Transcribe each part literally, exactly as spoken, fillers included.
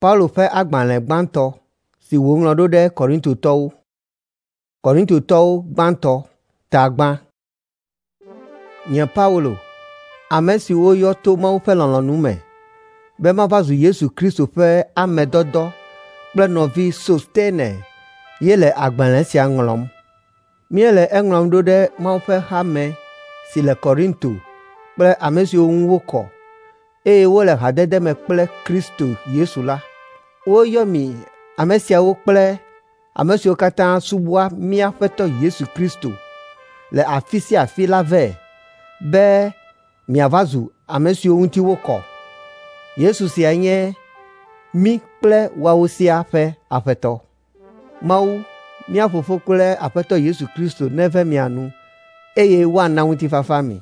Paulo ƒe agbalẽ gbãtɔ si wòŋlɔ ɖo ɖe Korintotɔwo. Korintotɔwo gbãtɔ ta gbã. Nye Paulo, ame si woyɔ to Mawu ƒe lɔlɔ̃nu me be mava zu Yesu Kristo ƒe ame dɔdɔ kple nɔvi Sostene ye le agbalẽ sia ŋlɔm. Míele eŋlɔm ɖo ɖe Mawu ƒe hame si le Korinto kple ame siwo ŋu wokɔ, eye wole hadede me kple Kristo Yesu la. Woyɔ mi ame siawo kple ame siwo katã subɔa mía Aƒetɔ Yesu Kristo le afi sia afi la vɛ be miava zu ame siwo ŋuti wokɔ. Yesu sia nye mí kple woawo siaa ƒe Aƒetɔ. Mawu, mía Fofo kple Aƒetɔ Yesu Kristo neve mia nu eye woana ŋutifafa mi.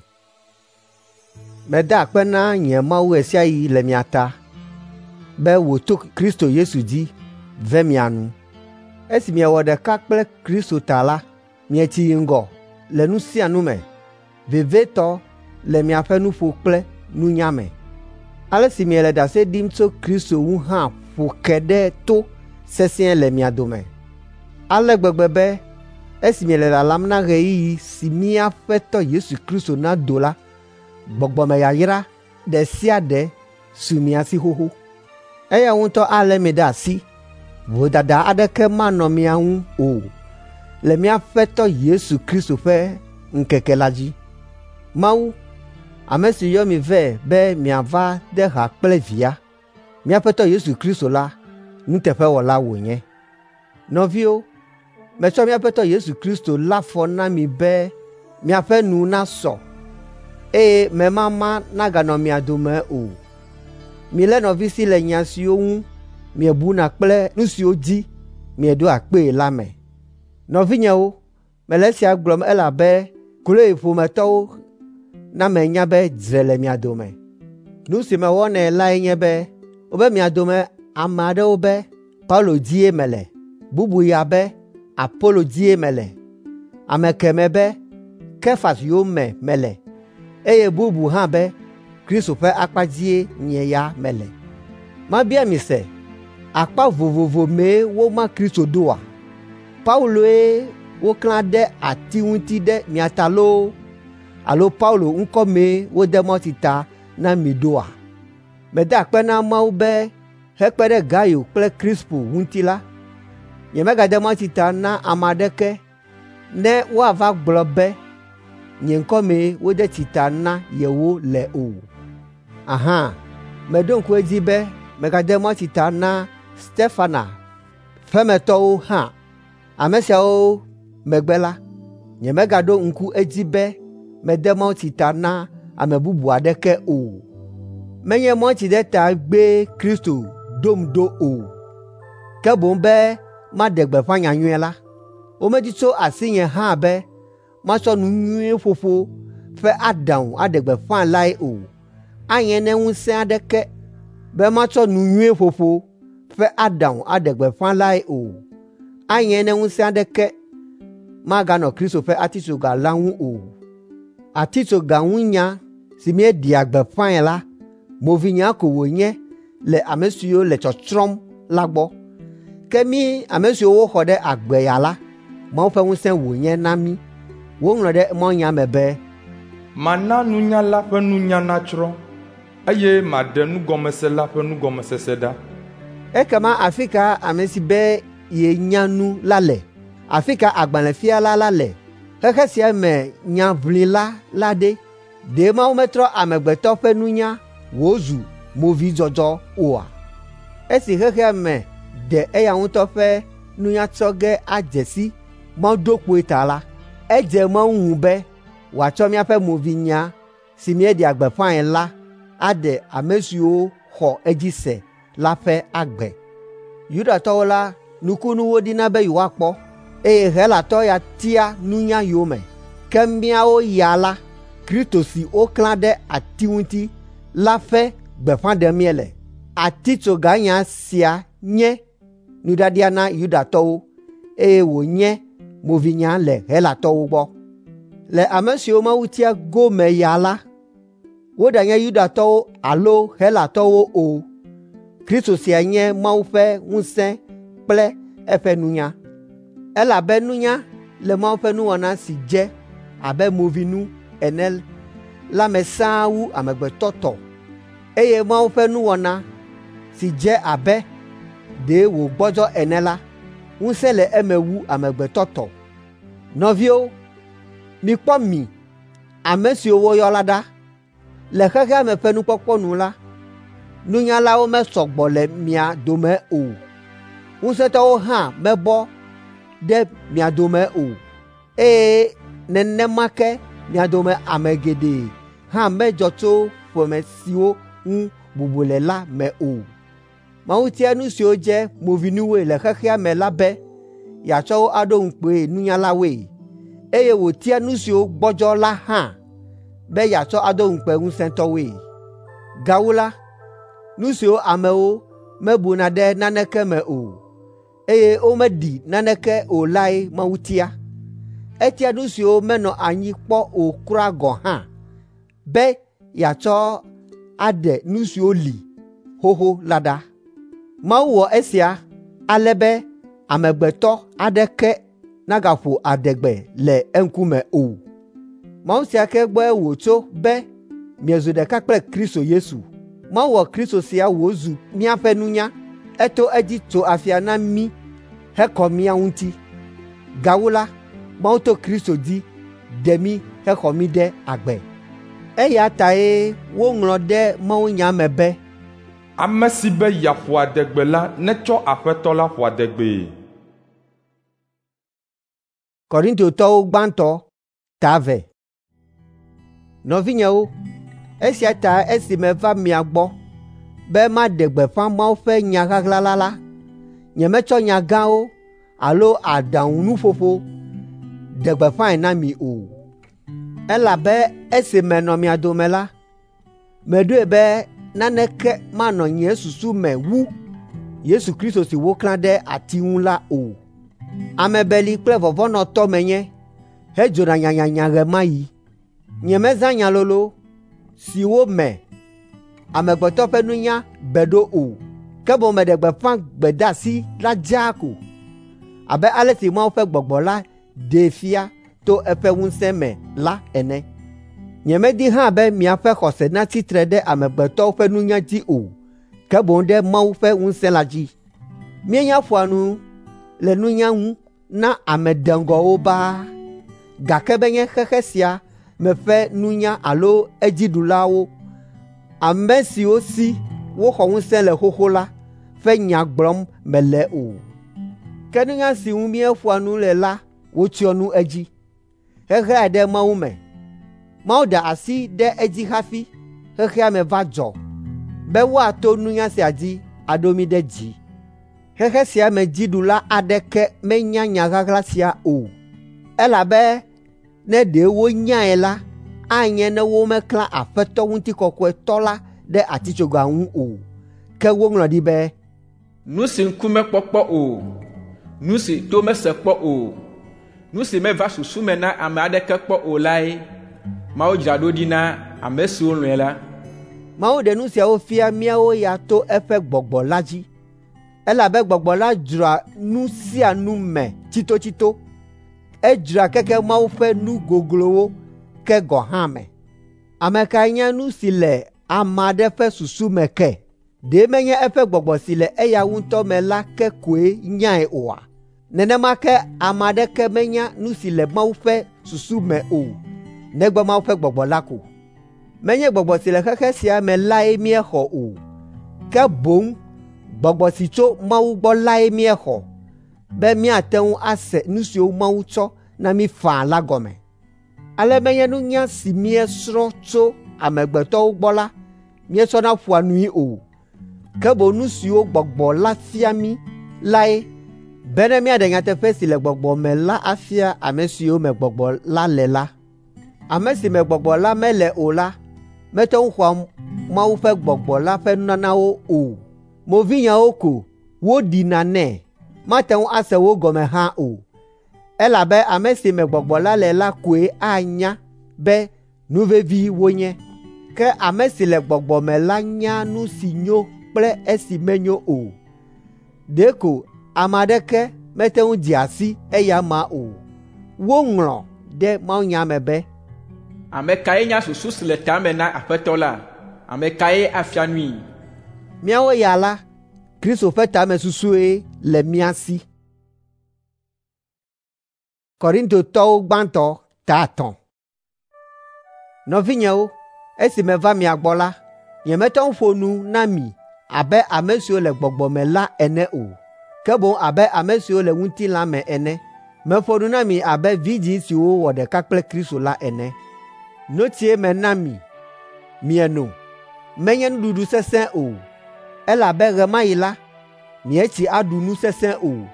Meda akpe na nye Mawu ɣe sia ɣi le mia ta be wòto Kristo Yesu dzi ve mia nu. Esi miewɔ ɖeka kple Kristo ta la, mietsi yi ŋgɔ le nu sia nu me, vevietɔ le miaƒe nuƒo kple nunya me. Ale si miele ɖase ɖim tso Kristo ŋu hã ƒo ke ɖe to sesĩe le mia dome. Ale gbegbe be esi miele lalam na ɣeyiɣi si mía Aƒetɔ Yesu Kristo nado la, gbɔgbɔmeyayra ɖe sia ɖe su mia si xoxo. Eya ŋutɔ alé mi ɖe asi, vodada aɖeke manɔ mia ŋu o le mía Aƒetɔ Yesu Kristo ƒe ŋkeke la dzi. Mawu, ame si yɔ mi vɛ be miava de ha kple Via, mía Aƒetɔ Yesu Kristo la, nuteƒewɔla wònye. Nɔviwo, metsɔ mía Aƒetɔ Yesu Kristo lé afɔ na mi be miaƒe nu nasɔ eye memama naganɔ mia dome o. Milé nɔvi si le nya siwo ŋu miebuna kple nu siwo dzi mieɖoa kpee la me. Nɔvinyewo, mele esia gblɔm elabe Kloe ƒometɔwo na menya be dzre le mia dome. Nu si mewɔnɛ lae nye be wobe mia dome ame aɖewo be Paulo dzie mele, bubu ya be Apolo dzie mele, ame kemɛ be Kefas yome mele eye bubu hã be Kristo ƒe akpa dzie nye ya mele. Mabia mi se, akpa vovovo mee woma Kristo ɖoa? Pauloe woklã ɖe ati ŋuti ɖe mia ta loo alo Paulo ŋkɔ mee wode mawutsi ta na mi ɖoa? Meda akpe na Mawu be hekpe ɖe Gayo kple Krispo ŋuti la, nyemegade mawutsi ta na ame aɖeke ne woava gblɔ be nye ŋkɔ mee wode tsi ta na yewo le o. Ahã, meɖo ŋku edzi be megade mawutsi ta na Stefana ƒemetɔwo hã. Ame siawo megbe la, nyemegaɖo ŋku edzi be mede mawutsi ta na ame bubu aɖeke o. Menye mawutsideta gbee Kristo ɖom ɖo o, ke boŋ be maɖe gbeƒã nyanyui la. Womedi tso asinye hã be matsɔ nu nyui ƒoƒo ƒe aɖaŋu aɖe gbeƒã lae o. Anye ne ŋusẽ aɖeke be matsɔ nu nyui ƒoƒo ƒe aɖaŋu aɖe gbeƒã lae o. Anye ne ŋusẽ aɖeke maganɔ Kristo ƒe atitsoga la ŋu o. Atitsoga ŋu nya si míeɖea gbeƒãe la, movinya ko wònye le ame siwo le tsɔtsrɔ̃m la gbɔ. Ke mí ame siwo woxɔ ɖe agbe ya la, Mawu ƒe ŋusẽ wònye na mí. Woŋlɔ ɖe mawunya me be, Mana nunyala ƒe nunya natsrɔ̃, eye maɖe nugɔmesela ƒe nugɔmesese ɖa. Ekema afi ka ame si be yenya nu la le? Afi ka agbalẽfiala la le? Xexe sia me nyaʋlila la ɖe? Ɖe Mawu metrɔ amegbetɔ ƒe nunya wòzu movidzɔdzɔ oa? Esi xexea me de eya ŋutɔ ƒe nunya tsɔ ge adze si Mawu do kpoe ta la, edze Mawu ŋu be wòatsɔ míaƒe movinya si míeɖea gbeƒãe la aɖe ame siwo xɔ edzi se la ƒe agbe. Yudatɔwo la, nukunu wodina be yewoakpɔ, eye Helatɔ ya tia nunya yome. Ke míawo ya la, Kristo si woklã ɖe ati ŋuti la ƒe gbeƒã ɖem míele. Atitsoganya sia nye nuɖaɖia na Yudatɔwo eye wònye movinya le Helatɔwo gbɔ. Le ame siwo Mawu tia gome ya la, woɖanye Yudatɔwo alo Helatɔwo o, Kristo sia nye Mawu ƒe ŋusẽ kple eƒe nunya. Elabe nunya le Mawu ƒe nuwɔna si dze abe movinu ene la me sãa wu amegbetɔ tɔ, eye Mawu ƒe nuwɔna si dze abe ɖe wògbɔdzɔ ene la, ŋusẽ le eme wu amegbetɔ tɔ. Nɔviwo, mikpɔ mi, ame siwo woyɔ la ɖa. Le xexea me ƒe nukpɔkpɔ nu la, nunyalawo mesɔ gbɔ le mia dome o. Ŋusẽtɔwo hã mebɔ ɖe mia dome o, eye nenema ke mia dome ame geɖe hã medzɔ tso ƒome siwo ŋu bubu le la me o. Mawu tia nu siwo dze movinuwoe le xexea me la be yeatsɔ wo aɖo ŋukpee nunyalawoe, eye wòtia nu siwo gbɔdzɔ la hã be yeatsɔ ado ŋukpe ŋusẽtɔwoe. Gawu la, nu siwo amewo mebuna ɖe naneke me o, eye womeɖi naneke o lae Mawu tia. Etia nu siwo menɔ anyi kpɔ o kura gɔ̃ hã be yeatsɔ aɖe nu siwo li xoxo la ɖa. Mawu wɔ esia ale be amegbetɔ aɖeke nagaƒo adegbe le eŋkume o. Mawu sia ke gbɔe wòtso be miezu ɖeka kple Kristo Yesu. Mawu wɔ Kristo sia wòzu míaƒe nunya. Eto edzi tso afia na mí hekɔ mía ŋuti. Gawu la, Mawu to Kristo dzi ɖe mí hexɔ mí ɖe agbe. Eya tae woŋlɔ ɖe mawunya me be, Ame si be yeaƒo adegbe la netsɔ Aƒetɔ la ƒo adegbee. Korintotɔwo gbãtɔ ta eve. Nɔvinyewo, esia ta esi meva mia gbɔ be maɖe gbeƒã Mawu ƒe nya ɣaɣla la la, nyemetsɔ nya gãwo alo aɖaŋunuƒoƒo ɖe gbeƒãe na mi o. Elabe esi menɔ mia dome la, meɖoe be naneke manɔ nye susu me wu Yesu Kristo si woklã ɖe ati ŋu la o. Ame beli kple vɔvɔ̃nɔtɔ menye hedzona nyanyanya ɣe ma ɣi. Nyemezã nya lolo siwo me amegbetɔ ƒe nunya be ɖo o, ke boŋ meɖe gbeƒã gbedeasi la dzaa ko, abe ale si Mawu ƒe Gbɔgbɔ la ɖee fia to eƒe ŋusẽ me la ene. Nyemedi hã be miaƒe xɔse natsi tre ɖe amegbetɔwo ƒe nunya dzi o, ke boŋ ɖe Mawu ƒe ŋusẽ la dzi. Míenya ƒoa nu le nunya ŋu na ame deŋgɔwo baa, gake menye xexe sia me ƒe nunya alo edziɖulawo, ame siwo si woxɔ ŋusẽ le xoxo la ƒe nya gblɔm mele o. Ke nunya si ŋu míeƒoa nu le la wotsyɔ nu edzi, heɣlae ɖe Mawu me. Mawu da asi ɖe edzi hafi xexea me va dzɔ be woato nunya sia dzi aɖo mí ɖe dzi. Xexe sia me dziɖula aɖeke menya nya ɣaɣla sia o, elabe ne ɖe wonyae la, anye ne womeklã Aƒetɔ Ŋutikɔkɔetɔ la ɖe atitsoga ŋu o. Ke woŋlɔ ɖi be, Nu si ŋku mekpɔ kpɔ o, nu si to mese kpɔ o, nu si meva susu me na ame aɖeke kpɔ o lae Mawu dzra ɖo ɖi na ame siwo lɔ̃e la. Mawu ɖe nu siawo fia míawo ya to eƒe Gbɔgbɔ la dzi. Elabe Gbɔgbɔ la dzroa nu sia nu me tsitotsito. Edzroa keke Mawu ƒe nu goglowo ke gɔ̃ hã me. Ame kae nya nu si le ame aɖe ƒe susu me ke? Ɖe menye eƒe gbɔgbɔ si le eya ŋutɔ me la ke koe nyae oa? Nenema ke ame aɖeke menya nu si le Mawu ƒe susu me o, negbe Mawu ƒe Gbɔgbɔ la ko. Menye gbɔgbɔ si le xexe sia me lae míexɔ o, ke boŋ gbɔgbɔ si tso Mawu gbɔ lae míexɔ, be míate ŋu ase nu siwo Mawu tsɔ na mí faa la gɔme. Ale menye nunya si míesrɔ̃ tso amegbetɔwo gbɔ la míetsɔna ƒoa nui o, ke boŋ nu siwo Gbɔgbɔ la fia mí lae, bene míaɖe nyateƒe si le Gbɔgbɔ me la afia ame siwo me Gbɔgbɔ la le la. Ame si me Gbɔgbɔ la mele o la mete ŋu xɔa Mawu ƒe Gbɔgbɔ la ƒe nunanawo o. Movinyawo ko woɖina nɛ, mate ŋu ase wo gɔme hã o, elabe ame si me Gbɔgbɔ la le la koe anya be nu vevi wonye. Ke ame si le Gbɔgbɔ me la nya nu si nyo kple esi menyo o. Ɖeko ame aɖeke mete ŋu dzea si eya amea o. Woŋlɔ ɖe mawunya me be, Ame kae nya susu si le ta me na Aƒetɔ la? Ame kae afia nui? Míawo ya la, Kristo ƒe tamesusue le mía si. Korintotɔwo gbãtɔ ta etɔ̃. Nɔvinyewo, esi meva mia gbɔ la, nyemete ŋu ƒo nu na mi abe ame siwo le gbɔgbɔ me la ene o, ke boŋ abe ame siwo le ŋutilã me ene. Meƒo nu na mi abe vidzĩ siwo wɔ ɖeka kple Kristo la ene. Notsie mena mi mieno, menye nuɖuɖu sesẽ o, elabe ɣe ma ɣi la, mietsi aɖu nu sesẽ o,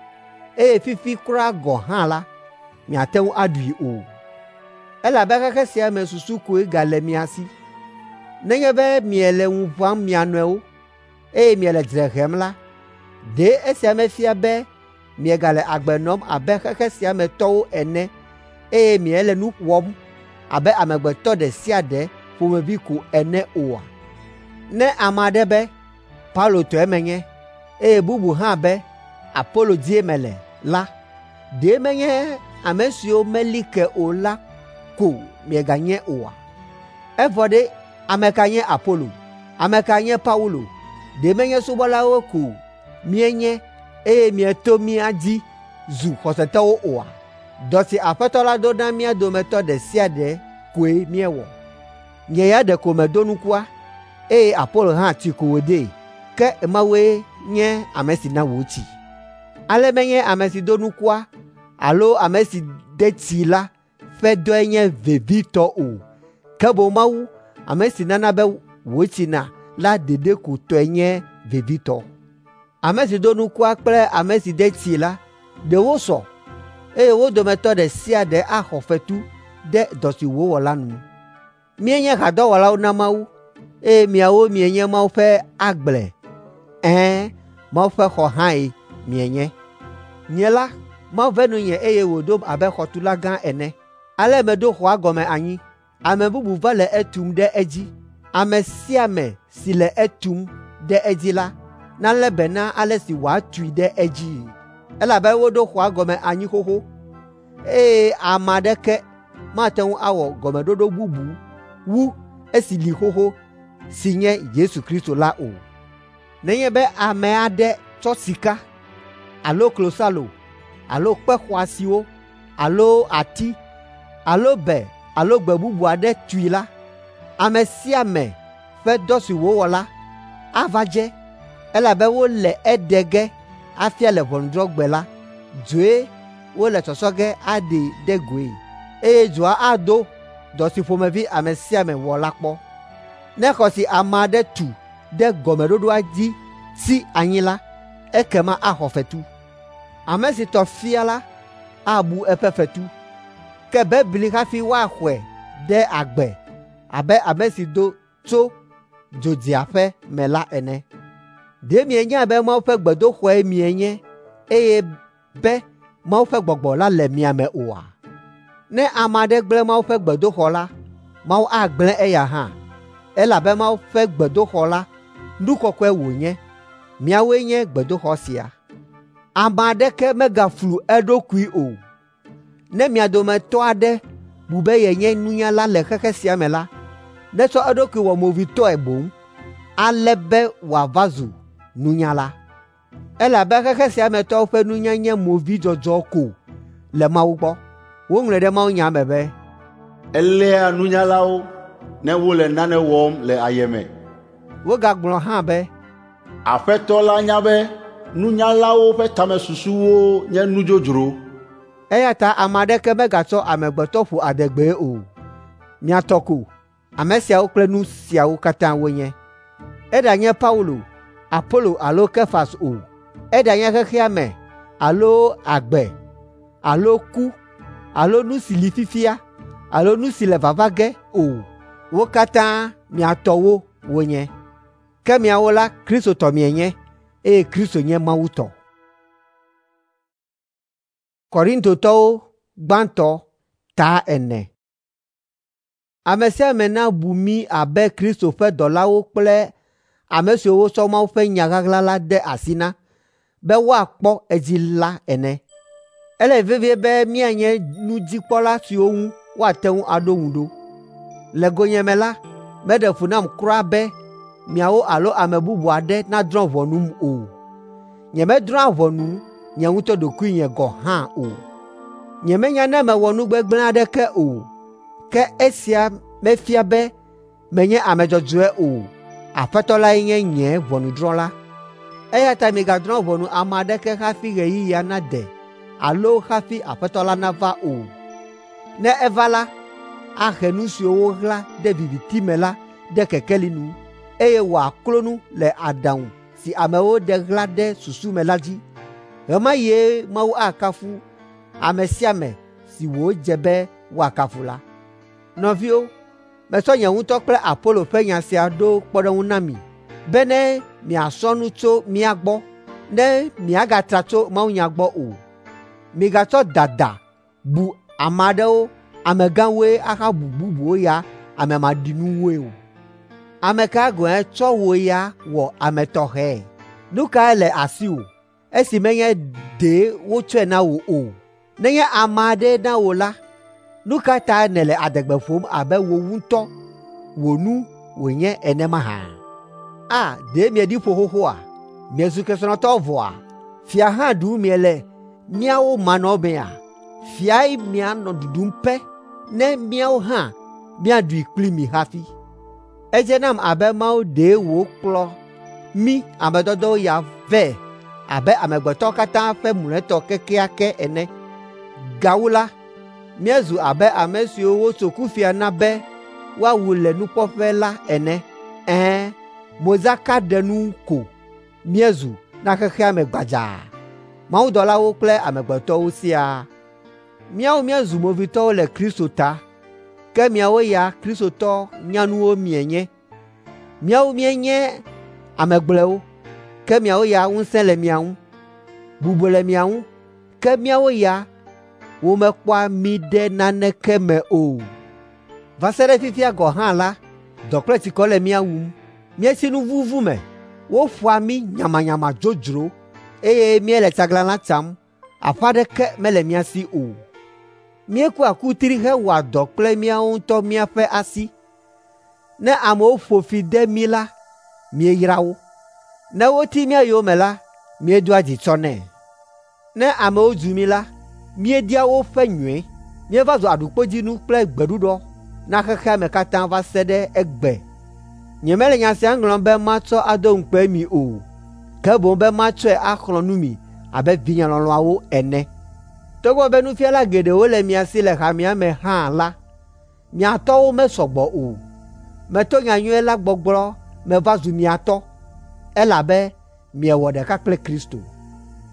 eye fifi kura gɔ̃ hã la, miate ŋu aɖui o. Elabe xexe sia me susu koe gale mia si. Nenye be miele ŋu ʋãm mia nɔewo, eye miele dzre hem la, ɖe esia mefia be miegale agbe nɔm abe xexe sia me tɔwo ene eye miele nu wɔm abe amegbetɔ ɖe sia ɖe ƒomevi ko ene oa? Ne ame aɖe be, “Paulo tɔe menye,” eye bubu hã be, “Apolo dzie mele” la, ɖe menye ame siwo meli ke o la ko mieganye oa? Evɔ ɖe ame ka nye Apolo? Ame ka nye Paulo? Ɖe menye subɔlawo ko míenye eye mieto mía dzi zu xɔsetɔwo oa? Dɔ si Aƒetɔ la ɖo na mía dometɔ ɖe sia ɖe koe míewɔ. Nye ya ɖeko medo nukua, eye Apolo hã tsi ko wòdee, ke Mawue nye ame si na wòtsi. Ale menye ame si do nukua alo ame si de tsii la ƒe dɔe nye vevitɔ o, ke boŋ Mawu, ame si nana be wòtsina la ɖeɖe ko tɔe nye vevitɔ. Ame si do nukua kple ame si de tsii la, ɖe wosɔ, eye wo dometɔ ɖe sia ɖe axɔ fetu ɖe dɔ si wòwɔ la nu. Míenye hadɔwɔlawo na Mawu, eye miawo mienye Mawu ƒe agble. Ɛ̃, Mawu ƒe xɔ hãe mienye. Nye la, Mawu ve nunye eye wòɖom abe xɔtula gã ene. Ale meɖo xɔa gɔme anyi. Ame bubu va le etum ɖe edzi. Ame sia ame si le etum ɖe edzi la, nalé be na ale si wòatui ɖe edzii. Elabe woɖo xɔa gɔme anyi xoxo, eye ame aɖeke mate ŋu awɔ gɔmeɖoɖo bubu wu esi li xoxo si nye Yesu Kristo la o. Nenye be ame aɖe tsɔ sika alo klosalo alo kpe xɔasiwo alo ati alo be alo gbe bubu aɖe tui la, ame sia ame ƒe dɔ si wòwɔ la ava dze, elabe wole eɖe ge afia le ʋɔnudrɔ̃gbe la. Dzoe wole tsɔtsɔ ge aɖee ɖe goe, eye dzoa ado dɔ si ƒomevi ame sia ame wɔ la kpɔ. Ne xɔ si ame aɖe tu ɖe gɔmeɖoɖoa dzi tsi anyi la, ekema axɔ fetu. Ame si tɔ fia la abu eƒe fetu, ke bebli hafi woaxɔe ɖe agbe abe ame si do tso dzodziaƒe me la ene. Ɖe mienyae be Mawu ƒe gbedoxɔe mienye eye be Mawu ƒe gbɔgbɔ la le mia me oa? Ne ame aɖe gblẽ Mawu ƒe gbedoxɔ la, Mawu agblẽ eya hã, elabe Mawu ƒe gbedoxɔ la, nu kɔkɔe wònye. Miawoe nye gbedoxɔ sia. Ame aɖeke megaflu eɖokui o. Ne mia dometɔ aɖe bu be yenye nunyala le xexe sia me la, netsɔ eɖokui wɔ movitɔe boŋ, ale be wòava zu nunyala. Elabe xexe sia me tɔwo ƒe nunya nye movidzɔdzɔ ko le Mawu gbɔ. Woŋlɔe ɖe mawunya me be, Eléa nunyalawo ne wole nane wɔm le ayeme. Wogagblɔ hã be, Aƒetɔ la nya be nunyalawo ƒe tamesusuwo nye nu dzodzro. Eya ta ame aɖeke megatsɔ amegbetɔ ƒo adegbee o. Mia tɔ ko ame siawo kple nu siawo katã wonye. Eɖanye Paulo, Apolo alo Kefas o, eɖanye xexea me alo agbe alo ku alo nu si li fifia alo nu si le vava ge o, wo katã mia tɔwo wonye. Ke miawo la, Kristo tɔ mienye, eye Kristo nye Mawu tɔ. Korintotɔwo gbãtɔ ta ene. Ame sia ame nabu mí abe Kristo ƒe dɔlawo kple ame siwo wotsɔ Mawu ƒe nya ɣaɣla la de asi na be woakpɔ edzi la ene. Ele vevie be míanye nudzikpɔla siwo ŋu woate ŋu aɖo ŋu ɖo. Le gonyeme la, meɖe fu nam kura be miawo alo ame bubu aɖe nadrɔ̃ ʋɔnum o. Nyemedrɔ̃a ʋɔnu nye ŋutɔ ɖokuinye gɔ̃ hã o. Nyemenya ne mewɔ nu gbegblẽ aɖeke o, ke esia mefia be menye ame dzɔdzɔe o. Aƒetɔ lae nye nye ʋɔnudrɔ̃la. Eya ta migadrɔ̃ ʋɔnu ame aɖeke hafi ɣeyiɣia nade alo hafi Aƒetɔ la nava o. Ne eva la, ahe nu siwo woɣla ɖe viviti me la ɖe kekeli nu, eye wòaklo nu le aɖaŋu si amewo ɖe ɣla ɖe susu me la dzi. Ɣe ma ɣie Mawu akafu ame sia ame si wòdze be woakafu la. Nɔviwo, metsɔ nye ŋutɔ kple Apolo ƒe nya sia ɖo kpɔɖeŋu na mi bene miasrɔ̃ nu tso mía gbɔ ne miagatra tso mawunya gbɔ o. Migatsɔ dada bu ame aɖewo amegãwoe ahabu bubuwo ya ame maɖinuwoe o. Ame ka gɔ̃e tsɔ wò ya wɔ ame tɔxɛe? Nu kae le asiwò esi menye ɖe wotsɔe na wò o? Nenye ame aɖee na wò la, nu ka ta nèle adegbe ƒom abe wò ŋutɔ wò nu wònye ene mahã? A, ɖe mieɖi ƒo xoxoa? Miezu kesinɔtɔwo vɔa? Fia hã ɖum miele míawo manɔmea? Fiae mianɔ ɖuɖum pɛ ne míawo hã míaɖui kpli mi hafi. Edze nam abe Mawu ɖe wòkplɔ mí ame dɔdɔwo ya vɛ abe amegbetɔwo katã ƒe mlɔetɔ kekeake ene. Gawu la, míezu abe ame siwo wotso kufia na be woawu le nukpɔƒe la ene. Ɛ̃, modzakaɖenu ko míezu na xexea me gbadzaa, mawudɔlawo kple amegbetɔwo siaa. Míawo míezu movitɔwo le Kristo ta, ke miawo ya Kristotɔ nyanuwo mienye. Míawo míenye ame gblɔewo, ke miawo ya ŋusẽ le mia ŋu, bubu le mia ŋu, ke míawo ya womekpɔa mí ɖe naneke me o. Va se ɖe fifia gɔ̃ hã la, dɔ kple tsikɔ le mía wum. Míetsi nu vuvu me, woƒoa mí nyamanyama dzodzro eye míele tsaglãla tsam, aƒe aɖeke mele mía si o. Míekua kutri hewɔa dɔ kple míawo ŋutɔ míaƒe asi. Ne amewo ƒo fi de mí la, míeyraa wo. Ne woti mía yome la, míedoa dzi tsɔnɛ. Ne amewo dzu mí la, míedia woƒe nyui. Míeva zu aɖukpodzinu kple gbeɖuɖɔ na xexea me katã va se ɖe egbe. Nyemele nya sia ŋlɔm be matsɔ ado ŋukpe mi o, ke boŋ be matsɔe axlɔ̃ nu mi abe vinye lɔlɔ̃awo ene. Togbɔ be nufiala geɖewo le mia si le hamea me hã la, mia tɔwo mesɔ gbɔ o. Meto nyanyui la gbɔgblɔ meva zu mia tɔ, elabe miewɔ ɖeka kple Kristo.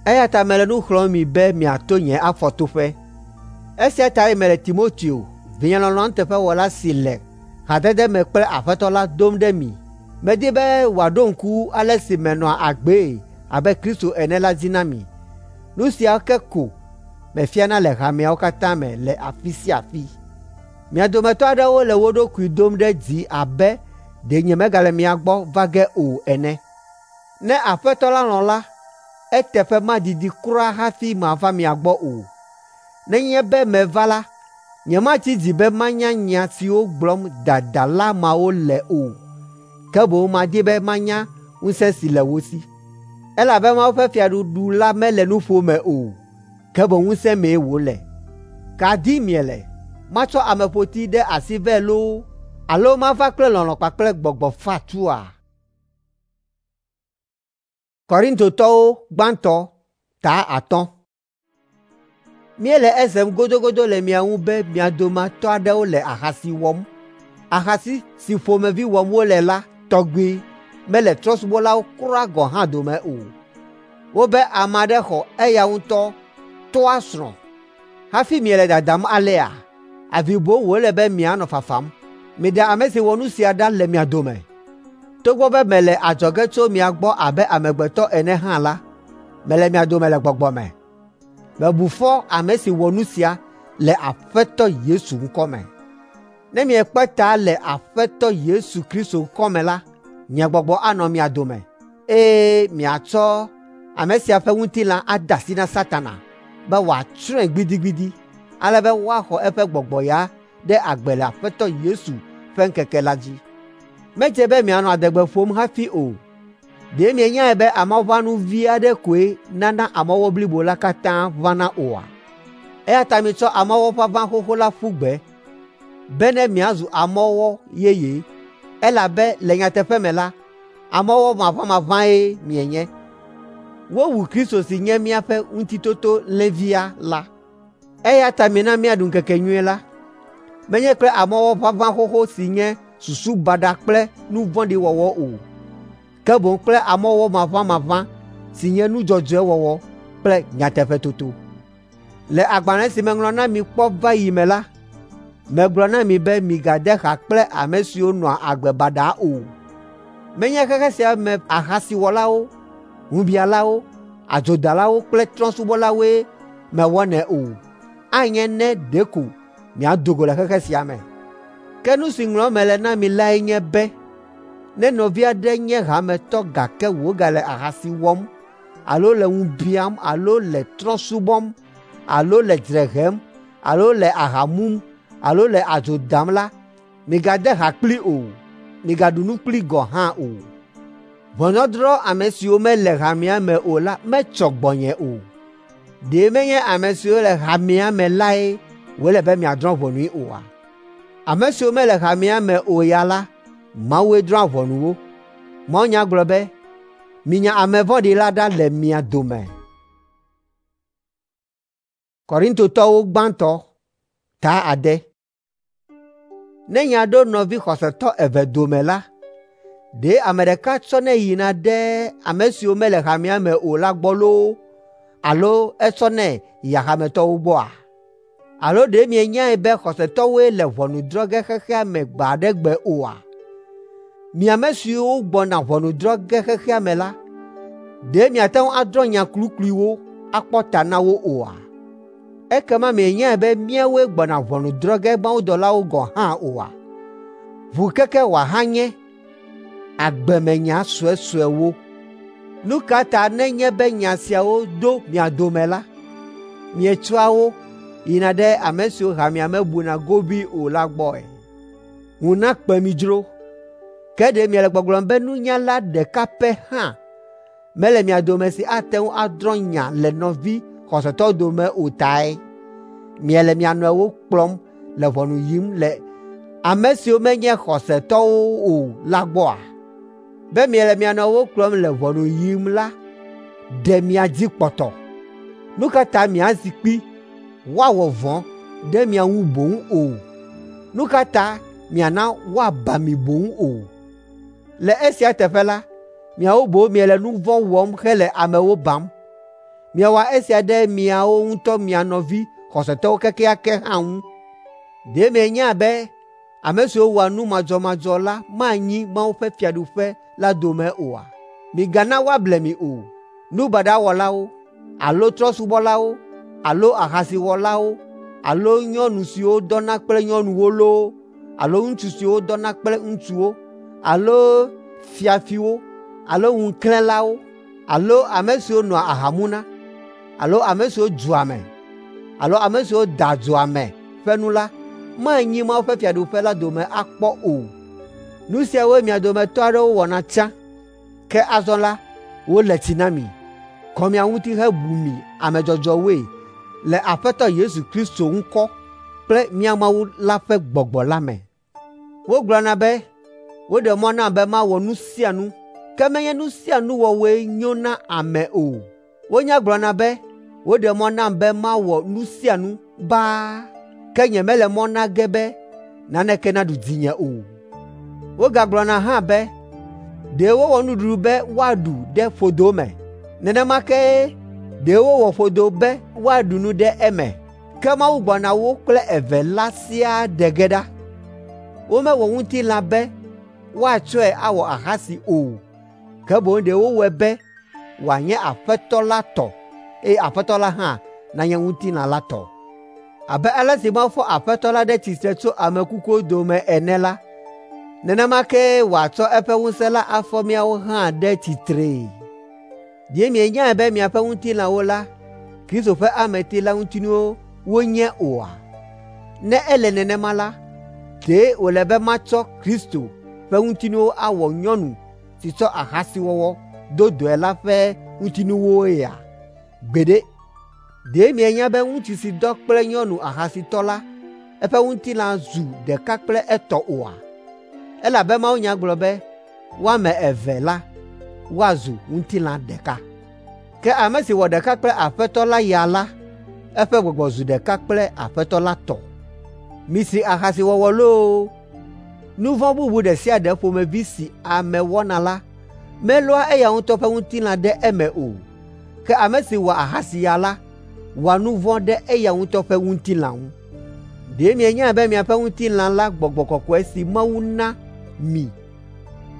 Eya ta mele nu xlɔ̃m mi be miato nye afɔtoƒe. Esia tae mele Timoteo, vinye lɔlɔ̃a nuteƒewɔla si le hadede me kple Aƒetɔ la dom ɖe mi. Medi be wòaɖo ŋku ale si menɔa agbee abe Kristo ene la dzi na mi. Nu sia ke ko mefiana le hameawo katã me le afi sia afi. Mia dometɔ aɖewo le wo ɖokui dom ɖe dzi abe ɖe nyemegale mia gbɔ va ge o ene. Ne Aƒetɔ la lɔ̃ la, eteƒe madidi kura hafi mava mia gbɔ o. Nenye be meva la, nyematsi dzi be manya nya siwo gblɔm dadala mawo le o, ke boŋ madi be manya ŋusẽ si le wo si. Elabe Mawu ƒe fiaɖuɖu la mele nuƒo me o, ke boŋ ŋusẽ mee wòle. Ka dim miele? Matsɔ ameƒoti ɖe asi vɛ loo alo mava kple lɔlɔ̃ kpakple gbɔgbɔ fatua? Korintotɔwo gbãtɔ ta atɔ̃. Míele esem godogodo le mia ŋu be mia dometɔ aɖewo le ahasi wɔm. Ahasi si ƒomevi wɔm wole la tɔgbi mele trɔ̃subɔlawo kura gɔ̃ hã dome o. Wobe ame aɖe xɔ eya ŋutɔ tɔa srɔ̃. Hafi miele dadam alea, avi boŋ wòle be mianɔ fafam. Miɖe ame si wɔ nu sia ɖa le mia dome. Togbɔ be mele adzɔge tso mia gbɔ abe amegbetɔ ene hã la, mele mia dome le gbɔgbɔ me. Mebu fɔ ame si wɔ nu sia le Aƒetɔ Yesu ŋkɔme. Ne miekpe ta le Aƒetɔ Yesu Kristo ŋkɔme la, Nye gbɔgbɔ anɔ mia dome, eye miatsɔ ame sia ƒe ŋutilã ade asi na Satana be wòatsrɔ̃e gbidigbidi, ale be woaxɔ eƒe gbɔgbɔ ya ɖe agbe le Aƒetɔ Yesu ƒe ŋkeke la dzi. Medze be mianɔ adegbe ƒom hafi o. Ɖe mienyae be amɔʋãnu vi aɖe koe nana amɔwɔ blibo la katã ʋãna oa? Eya ta mitsɔ amɔwɔ ʋaʋã xoxo la ƒu gbe, bene miazu amɔwɔ yeye, elabe le nyateƒe me la, amɔwɔ maʋamaʋãe mienye. Wowu Kristo si nye míaƒe Ŋutitotolẽvia la. Eya ta mina míaɖu ŋkekenyui la, menye kple amɔwɔ ʋaʋã xoxo si nye susu baɖa kple nu vɔ̃ɖi wɔwɔ o, ke boŋ kple amɔwɔ maʋamaʋã si nye nu dzɔdzɔe wɔwɔ kple nyateƒetoto. Le agbalẽ si meŋlɔ na mi kpɔ va yi me la, megblɔ na mi be migade ha kple ame siwo nɔa agbe baɖa o. Menye xexe sia me ahasiwɔlawo, ŋubialawo, adzodalawo kple trɔ̃subɔlawoe mewɔnɛ o. Anye ne ɖeko miado go le xexe sia me. Ke nu si ŋlɔm mele na mi lae nye be ne nɔvi aɖe nye hametɔ gake wògale ahasi wɔm alo le ŋu biam alo le trɔ̃ subɔm alo le dzre hem alo le aha mum alo le adzo dam la, migade ha kplii o, migaɖu nu kplii gɔ̃ hã o. Ʋɔnudɔdrɔ̃ ame siwo mele hamea me o la metsɔ gbɔnye o. Ɖe menye ame siwo le hamea me lae wòle be miadrɔ̃ ʋɔnui oa? Ame siwo mele hamea me o ya la, Mawue drɔ̃a ʋɔnu wo. Mawunya gblɔ be, “Minya ame vɔ̃ɖi la ɖa le mia dome.” Korintotɔwo gbãtɔ ta ade. Ne nya ɖo nɔvi xɔsetɔ eve dome la, ɖe ame ɖeka tsɔnɛ yina ɖe ame siwo mele hamea me o la gbɔ loo alo etsɔnɛ yia hametɔwo gbɔa? Alo ɖe mienyae be xɔsetɔwoe le ʋɔnu drɔ̃ ge xexea me gbe aɖe gbe oa? Mi ame siwo gbɔna ʋɔnu drɔ̃ ge xexea me la, ɖe miate ŋu adrɔ̃ nya klukluiwo akpɔ ta na wo oa? Ekema mienyae be míawoe gbɔna ʋɔnu drɔ̃ ge mawudɔlawo gɔ̃ hã oa? Ʋukeke wòahanye agbemenya suesuewo. Nu ka ta nenye be nya siawo do mia dome la, mietsɔa wo yina ɖe ame siwo hamea mebuna gobii o la gbɔe? Ŋu nakpe mi dzro. Ke ɖe miele gbɔgblɔm be nunyala ɖeka pɛ hã mele mia dome si ate ŋu adrɔ̃ nya le nɔvi xɔsetɔwo dome o tae miele mia nɔewo kplɔm le ʋɔnu yim le ame siwo menye xɔsetɔwo o la gbɔa? Be miele mia nɔewo kplɔm le ʋɔnu yim la, ɖe mia dzi kpɔtɔ. Nu ka ta miazi kpi woawɔ vɔ̃ ɖe mia ŋu boŋ o? Nu ka ta miana woaba mi boŋ o? Le esia teƒe la, miawo boŋ miele nu vɔ̃ wɔm hele amewo bam. Miewɔa esia ɖe miawo ŋutɔ mia nɔvi xɔsetɔwo kekeake hã ŋu. Ɖe mienya be ame siwo wɔa nu madzɔmadzɔ la manyi Mawu ƒe fiaɖuƒe la dome oa? Migana woable mi o. Nu baɖa wɔlawo alo trɔ̃subɔlawo alo ahasiwɔlawo alo nyɔnu siwo dɔna kple nyɔnuwo loo alo ŋutsu siwo dɔna kple ŋutsuwo alo fiafiwo alo ŋuklẽlawo alo ame siwo nɔa aha muna alo ame siwo dzua ame alo ame siwo da adzo ame ƒe nu la manyi Mawu ƒe fiaɖuƒe la dome akpɔ o. Nu siawoe mia dometɔ aɖewo wɔna tsã, ke azɔ la, wole tsi na mi, kɔ mia ŋuti hebu mi ame dzɔdzɔewoe le Aƒetɔ Yesu Kristo ŋkɔ kple mía Mawu la ƒe gbɔgbɔ la me. Wogblɔna be, “Woɖe mɔ nam be mawɔ nu sia nu,” ke menye nu sia nu wɔwɔe nyo na ame o. Wonya gblɔna be, “Woɖe mɔ nam be mawɔ nu sia nu baa,” ke nyemele mɔ na ge be naneke naɖu dzinye o. Wogagblɔna hã be, “Ɖe wowɔ nuɖuɖu be woaɖu ɖe ƒodo me. Nenema kee ɖe wowɔ ƒodo be woaɖu nu ɖe eme.” Ke Mawu gbɔna wo kple eve la siaa ɖe ge ɖa. Womewɔ ŋutilã be woatsɔe awɔ ahasi o, ke boŋ ɖe wowɔe be wòanye Aƒetɔ la tɔ eye Aƒetɔ la hã nanye ŋutilã la tɔ. Abe ale si Mawu fɔ Aƒetɔ la ɖe tsitre tso ame kukuwo dome ene la, nenema kee wòatsɔ eƒe ŋusẽ la afɔ míawo hã ɖe tsitree. Ɖe mienyae be miaƒe ŋutilãwo la, Kristo ƒe ameti la ŋutinuwo wonye oa? Ne ele nenema la, ɖe wòle be matsɔ Kristo ƒe ŋutinuwo awɔ nyɔnu si tsɔ ahasiwɔwɔ do dɔe la ƒe ŋutinuwoea? Gbeɖe! Ɖe mienya be ŋutsu si dɔ kple nyɔnu ahasitɔ la, eƒe ŋutilã zu ɖeka kple etɔ oa? Elabe mawunya gblɔ be wo ame eve la woazu ŋutilã ɖeka. Ke ame si wɔ ɖeka kple Aƒetɔ la ya la, eƒe gbɔgbɔ zu ɖeka kple Aƒetɔ la tɔ. Misri ahasiwɔwɔ loo! Nu vɔ̃ bubu ɖe sia ɖe ƒomevi si ame wɔna la, melɔa eya ŋutɔ ƒe ŋutilã ɖe eme o. Ke ame si wɔ ahasi ya la, wɔa nu vɔ̃ ɖe eya ŋutɔ ƒe ŋutilã ŋu. Ɖe mienyae be miaƒe ŋutilã la Gbɔgbɔ Kɔkɔe si Mawu na mi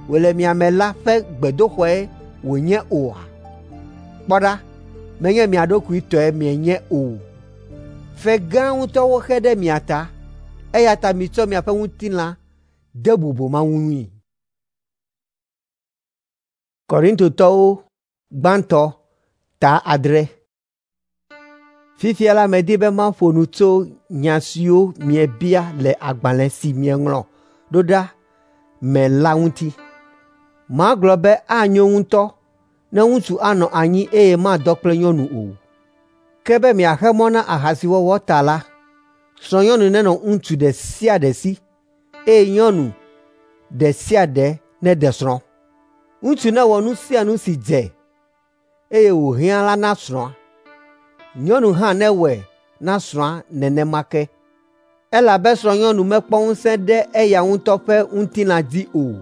wòle mia me la ƒe gbedoxɔe wònye oa? Kpɔ ɖa, menye mia ɖokui tɔe mienye o. Fe gã ŋutɔ woxe ɖe mia ta, eya ta mitsɔ miaƒe ŋutilã de bubu Mawu ŋui. Korintotɔwo gbãtɔ ta adre. Fifia la medi be maƒo nu tso nya siwo miebia le agbalẽ si mieŋlɔ ɖo ɖa me la ŋuti. Magblɔ be anyo ŋutɔ ne ŋutsu anɔ anyi eye madɔ kple nyɔnu o. Ke be miaxe mɔ na ahasiwɔwɔ ta la, srɔ̃nyɔnu nenɔ ŋutsu ɖe sia ɖe si eye nyɔnu ɖe sia ɖe neɖe srɔ̃. Ŋutsu newɔ nu sia nu si dze eye wòhiã la na srɔ̃a. Nyɔnu hã newɔe na srɔ̃a nenema ke. Elabe srɔ̃nyɔnu mekpɔ ŋusẽ ɖe eya ŋutɔ ƒe ŋutilã dzi o,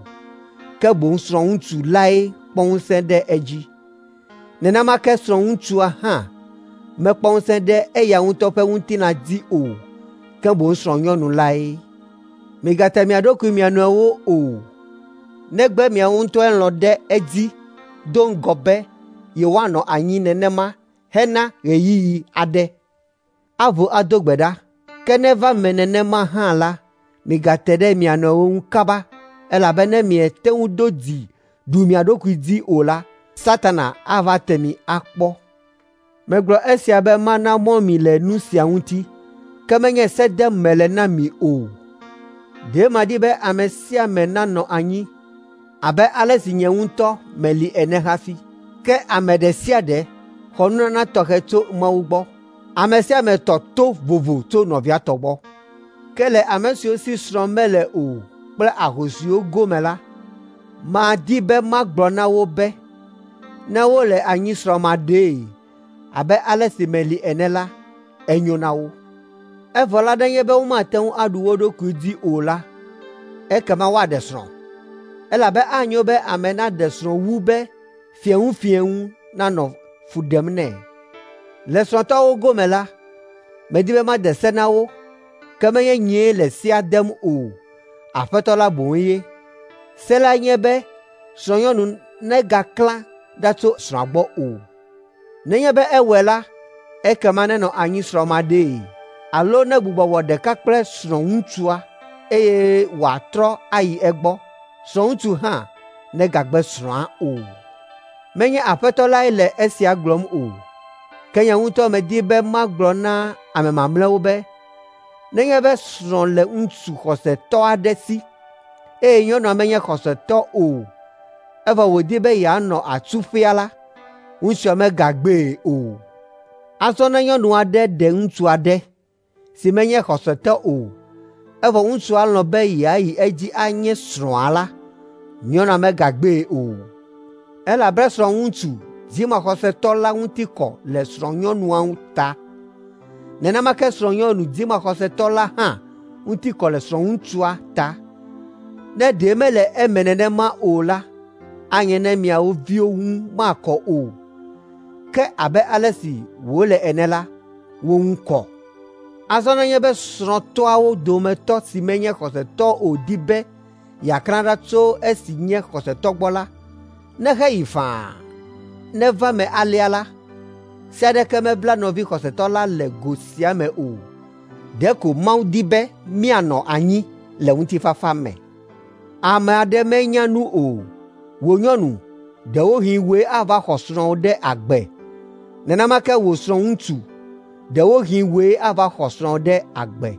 ke boŋ srɔ̃ŋutsu lae kpɔ ŋusẽ ɖe edzi. Nenema ke srɔ̃ŋutsua hã mekpɔ ŋusẽ ɖe eya ŋutɔ ƒe ŋutilã dzi o, ke boŋ srɔ̃nyɔnu lae. Migate mia ɖokui mia nɔewo o, negbe miawo ŋutɔe lɔ̃ ɖe edzi do ŋgɔ be yewoanɔ anyi nenema hena ɣeyiɣi aɖe. Avo ado gbe ɖa, ke ne eva me nenema hã la, migate ɖe mia nɔewo ŋu kaba, elabe ne miete ŋu do dzi ɖu mia ɖokui dzi o la, Satana ava te mi akpɔ. Megblɔ esia be mana mɔ mi le nu sia ŋuti, ke menye se dem mele na mi o. Ɖe madi be ame sia ame nanɔ anyi abe ale si nye ŋutɔ meli ene hafi. Ke ame ɖe sia ɖe xɔ nunana tɔxɛ tso Mawu gbɔ. Ame sia ame tɔ to vovo tso nɔvia tɔ gbɔ. Ke le ame siwo si srɔ̃ mele o kple ahosiwo gome la, madi be magblɔ na wo be ne wole anyi srɔ̃maɖee abe ale si meli ene la, enyo na wo. Evɔ la nenye be womate ŋu aɖu wo ɖokui dzi o la, ekema woaɖe srɔ̃. Elabe anyo be ame naɖe srɔ̃ wu be fieŋufieŋu nanɔ fu ɖem nɛ. Le srɔ̃tɔwo gome la, medi be made se na wo, ke menye nyee le sea dem o, Aƒetɔ la boŋ ye. Se la nye be srɔ̃nyɔnu negaklã ɖa tso srɔ̃a gbɔ o. Nenye be ewɔe la, ekema nenɔ anyi srɔ̃maɖee alo negbugbɔ wɔ ɖeka kple srɔ̃ŋutsua eye wòatrɔ ayi egbɔ. Srɔ̃ŋutsu hã negagbe srɔ̃a o. Menye Aƒetɔ lae le esia gblɔm o, ke nye ŋutɔ medi be magblɔ na ame mamlɛawo be, nenye be srɔ̃ le ŋutsu xɔsetɔ aɖe si eye nyɔnua menye xɔsetɔ o, evɔ wòdi be yeanɔ atsuƒea la, ŋutsua megagbee o. Azɔ ne nyɔnu aɖe ɖe ŋutsu aɖe si menye xɔsetɔ o, evɔ ŋutsua lɔ̃ be yeayi edzi anye srɔ̃a la, nyɔnua megagbee o. Elabe srɔ̃ŋutsu dzimaxɔsetɔ la ŋuti kɔ le srɔ̃nyɔnua ta. Nenema ke srɔ̃nyɔnu dzimaxɔsetɔ la hã ŋuti kɔ le srɔ̃ŋutsua ta. Ne ɖe mele eme nenema o la, anye ne miawo viwo ŋu makɔ o. Ke abe ale si wòle ene la, wo ŋu kɔ. Azɔ nenye be srɔ̃tɔawo dometɔ si menye xɔsetɔ o di be yeaklã ɖa tso esi nye xɔsetɔ gbɔ la, neheyi faa. Neva me alea la, se aɖeke mebla nɔvi xɔsetɔ la le go sia me o. Ɖeko Mawu di be míanɔ anyi le ŋutifafa me. Ame aɖe menya nu o. Wò nyɔnu, ɖewohĩ wòe ava xɔ srɔ̃wò ɖe agbe. Nenema ke wò srɔ̃ŋutsu, ɖewohĩ wòe ava xɔ srɔ̃wò ɖe agbe.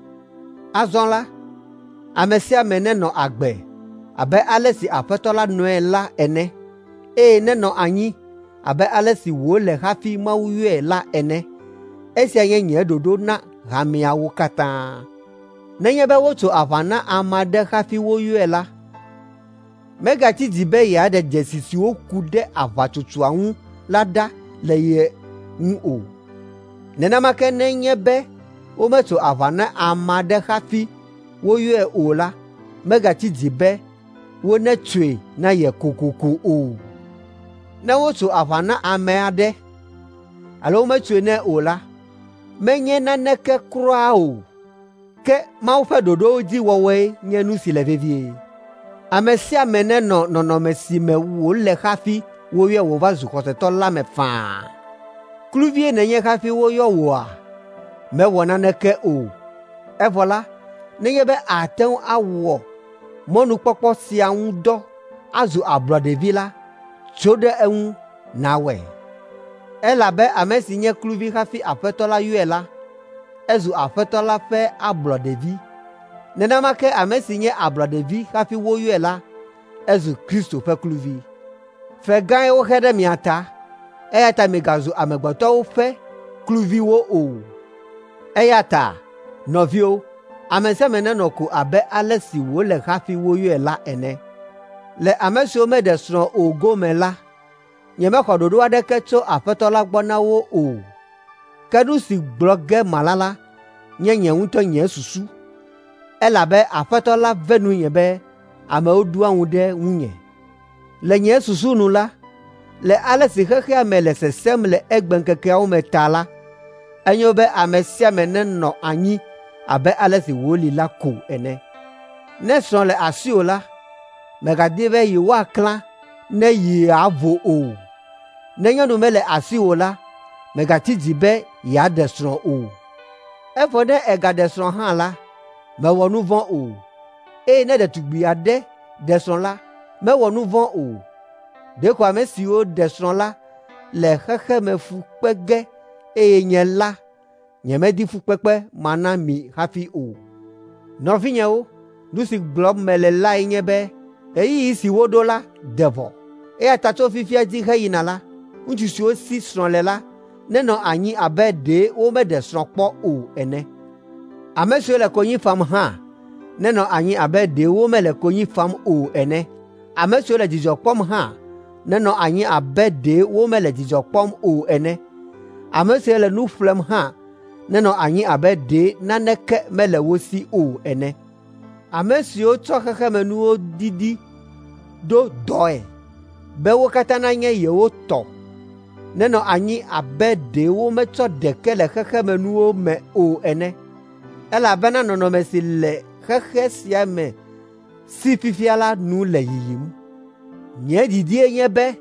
Azɔ la, ame sia ame nenɔ agbe abe ale si Aƒetɔ la nɔe la ene, eye nenɔ anyi abe ale si wòle hafi Mawu yɔe la ene. Esia nye nye ɖoɖo na hameawo katã. Nenye be wotso aʋa na ame aɖe hafi woyɔe la, megatsi dzi be yeaɖe dzesi siwo ku ɖe aʋatsotsoa ŋu la ɖa le ye ŋu o. Nenema ke nenye be wometso aʋa na ame aɖe hafi woyɔe o la, megatsi dzi be wonetsoe na ye kokoko o. Ne wotso aʋa na ame aɖe alo wometsoe nɛ o la, menye naneke kura o. Ke Mawu ƒe ɖoɖowo dzi wɔwɔe nye nu si le vevie. Ame sia ame nenɔ nɔnɔme si me wòle hafi woyɔe wòva zu xɔsetɔ la me faa. Kluvie nènye hafi woyɔ wòa? Mewɔ naneke o. Evɔ la, nenye be àte ŋu awɔ mɔnukpɔkpɔ sia ŋu dɔ azu ablɔɖevi la, tso ɖe eŋu nàwɔe. Elabe ame si nye kluvi hafi Aƒetɔ la yɔe la, ezu Aƒetɔ la ƒe ablɔɖevi. Nenema ke ame si nye ablɔɖevi hafi woyɔe la, ezu Kristo ƒe kluvi. Fe gãe woxe ɖe mia ta, eya ta migazu amegbetɔwo ƒe kluviwo o. Eya ta, nɔviwo, ame sia ame nenɔ ko abe ale si wòle hafi woyɔe la ene. Le ame siwo meɖe srɔ̃ o gome la, nyemexɔ ɖoɖo aɖeke tso Aƒetɔ la gbɔ na wo o. Ke nu si gblɔ ge mala la nye nye ŋutɔ nye susu, elabe Aƒetɔ la ve nunye be amewo ɖoa ŋu ɖe ŋunye. Le nye susu nu la, le ale si xexea me le sesẽm le egbeŋkekeawo me ta la, enyo be ame sia ame nenɔ anyi abe ale si wòli la ko ene. Ne srɔ̃ le asiwò la, mègadi be yewoaklã ne yeavo o. Ne nyɔnu mele asiwò la, mègatsi dzi be yeaɖe srɔ̃ o. Evɔ ne ègaɖe srɔ̃ hã la, mèwɔ nu vɔ̃ o. Eye ne ɖetugbi aɖe ɖe srɔ̃ la, mewɔ nu vɔ̃ o. Ɖeko ame siwo ɖe srɔ̃ la le xexemefu kpe ge eye nye la, nyemedi fukpekpe mana mi hafi o. Nɔvinyewo, nu si gblɔm mele lae nye be ɣeyiɣi si woɖo la de vɔ. Eya ta tso fifia dzi heyina la, ŋutsu siwo si srɔ̃ le la nenɔ anyi abe ɖe womeɖe srɔ̃ kpɔ o ene. Ame siwo le konyi fam hã nenɔ anyi abe ɖe womele konyi fam o ene. Ame siwo le dzidzɔ kpɔm hã nenɔ anyi abe ɖe womele dzidzɔ kpɔm o ene. Ame siwo le nu ƒlem hã nenɔ anyi abe ɖe naneke mele wo si o ene. Ame siwo tsɔ xexemenuwo didi ɖo dɔe be wo katã nanye yewo tɔ nenɔ anyi abe ɖe wometsɔ ɖeke le xexemenuwo me o ene. Elabena nɔnɔme si le xexe sia me si fifia la nu le yiyim. Nye didie nye be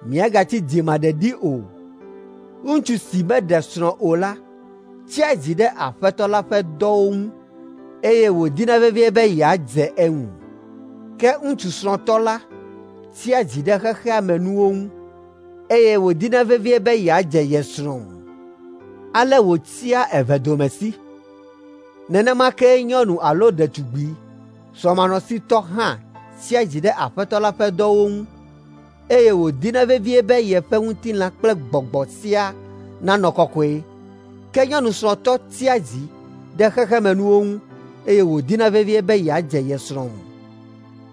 miagatsi dzimaɖeɖi o. Ŋutsu si meɖe srɔ̃ o la tsia dzi ɖe Aƒetɔ la ƒe dɔwo ŋu eye wòdina vevie be yeadze eŋu. Ke ŋutsu srɔ̃tɔ la tsia dzi ɖe xexea me nuwo ŋu eye wòdina vevie be yeadze ye srɔ̃ ŋu. Ale wòtsia evedomesi. Nenema kee nyɔnu alo ɖetugbi srɔ̃manɔsitɔ hã tsia dzi ɖe Aƒetɔ la ƒe dɔwo ŋu eye wòdina vevie be yeƒe ŋutilã kple gbɔgbɔ siaa nanɔ kɔkɔe. Ke nyɔnu srɔ̃tɔ tsia dzi ɖe xexemenuwo ŋu eye wòdina vevie be yeadze ye srɔ̃ ŋu.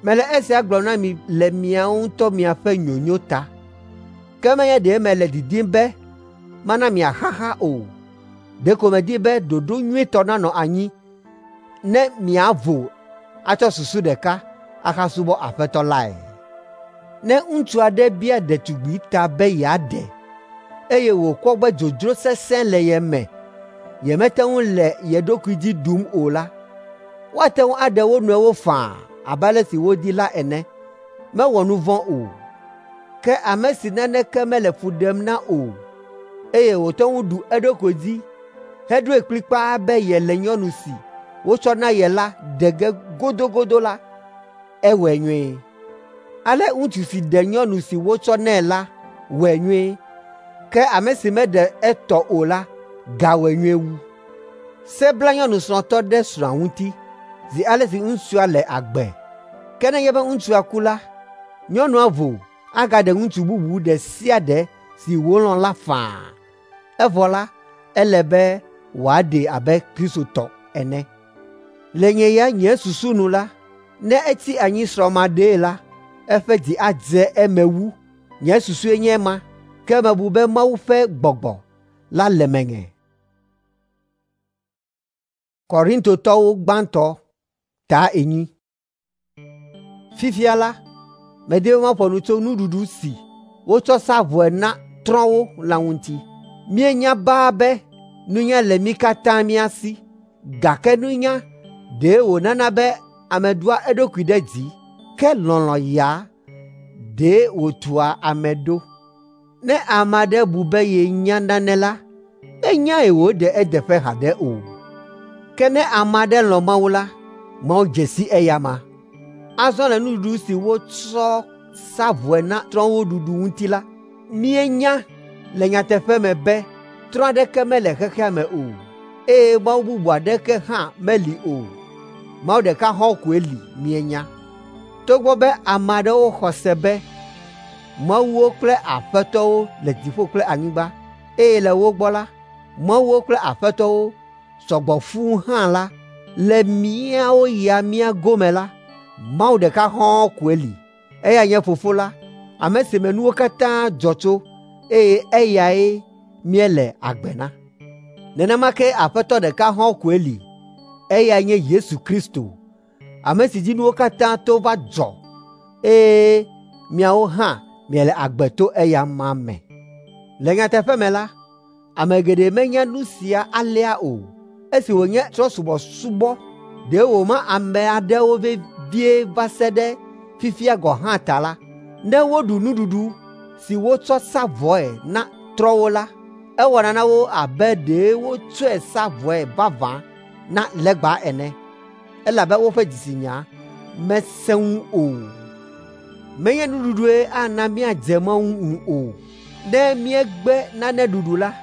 Mele esia gblɔm na mi le miawo ŋutɔ miaƒe nyonyo ta. Ke menye ɖe mele didim be mana miaxaxa o. Ɖeko medi be ɖoɖo nyuitɔ nanɔ anyi ne miavo atsɔ susu ɖeka ahasubɔ Aƒetɔ lae. Ne ŋutsu aɖe bia ɖetugbi ta be yeaɖe, eye wòkpɔ be dzodzro sesẽ le ye me, yemete ŋu le ye ɖokui dzi ɖum o la, woate ŋu aɖe wo nɔewo faa abe ale si wodi la ene. Mewɔ nu vɔ̃ o. Ke ame si naneke mele fu ɖem na o, eye wòte ŋu ɖu eɖokui dzi heɖoe kplikpaa be yele nyɔnu si wotsɔ na ye la ɖe ge godogodo la, ewɔe nyuie. Ale ŋutsu si ɖe nyɔnu si wotsɔ nɛ la wɔe nyuie, ke ame si meɖe etɔ o la gawɔe nyuie wu. Se bla nyɔnu srɔ̃tɔ ɖe srɔ̃a ŋuti zi ale si ŋutsua le agbe. Ke nenye be ŋutsua ku la, nyɔnua vo agaɖe ŋutsu bubu ɖe sia ɖe si wòlɔ̃ la faa. Evɔ la, ele be wòaɖee abe Kristo tɔ ene. Le nye ya nye susu nu la, ne etsi anyi srɔ̃maɖee la, eƒe dzi adze eme wu. Nye susue nye ema, ke mebu be Mawu ƒe gbɔgbɔ la le menye. Korintotɔwo gbãtɔ ta enyi. Fifia la, medi be maƒo nu tso nuɖuɖu si wotsɔ sa vɔe na trɔ̃wo la ŋuti. Míenya baa be nunya le mí katã mía si, gake nunya ɖe wònana be ame ɖoa eɖokui ɖe dzi, ke lɔlɔ̃ ya ɖe wòtua ame ɖo. Ne ame aɖe bu be yenya nane la, menyae wòde edeƒe haɖe o. Ke ne ame aɖe lɔ̃ Mawu la, Mawu dze si eya ma. Azɔ le nuɖuɖu si wotsɔ sa vɔe na trɔ̃wo ɖuɖu ŋuti la, míenya le nyateƒe me be trɔ̃ aɖeke mele xexea me o, eye Mawu bubu aɖeke hã meli o. Mawu ɖeka hɔ̃ koe li míenya. Togbɔ be ame aɖewo xɔ se be mawuwo kple aƒetɔwo le dziƒo kple anyigba, eye le wo gbɔ la, mawuwo kple aƒetɔwo sɔgbɔ fũu hã la, le míawo ya mía gome la, Mawu ɖeka hɔ̃ɔ koe li. Eyae nye Fofo la, ame si me nuwo katã dzɔ tso, eye eyae míele agbe na. Nenema ke Aƒetɔ ɖeka hɔ̃ɔ koe li, eyae nye Yesu Kristo, ame si dzi nuwo katã to va dzɔ, eye miawo hã miele agbe to eya ma me. Le nyateƒe me la, ame geɖe menya nu sia alea o. Esi wònye trɔ̃subɔsubɔ ɖe wòma ame aɖewo vevie va se ɖe fifia gɔ̃ hã ta la, ne woɖu nuɖuɖu si wotsɔ sa vɔe na trɔ̃wo la, ewɔna na wo abe ɖe wotsɔe sa vɔe vavã na legba ene, elabe woƒe dzitsinya mesẽ ŋu o. Menye nuɖuɖue ana míadze Mawu ŋu o. Ne míegbe nane ɖuɖu la,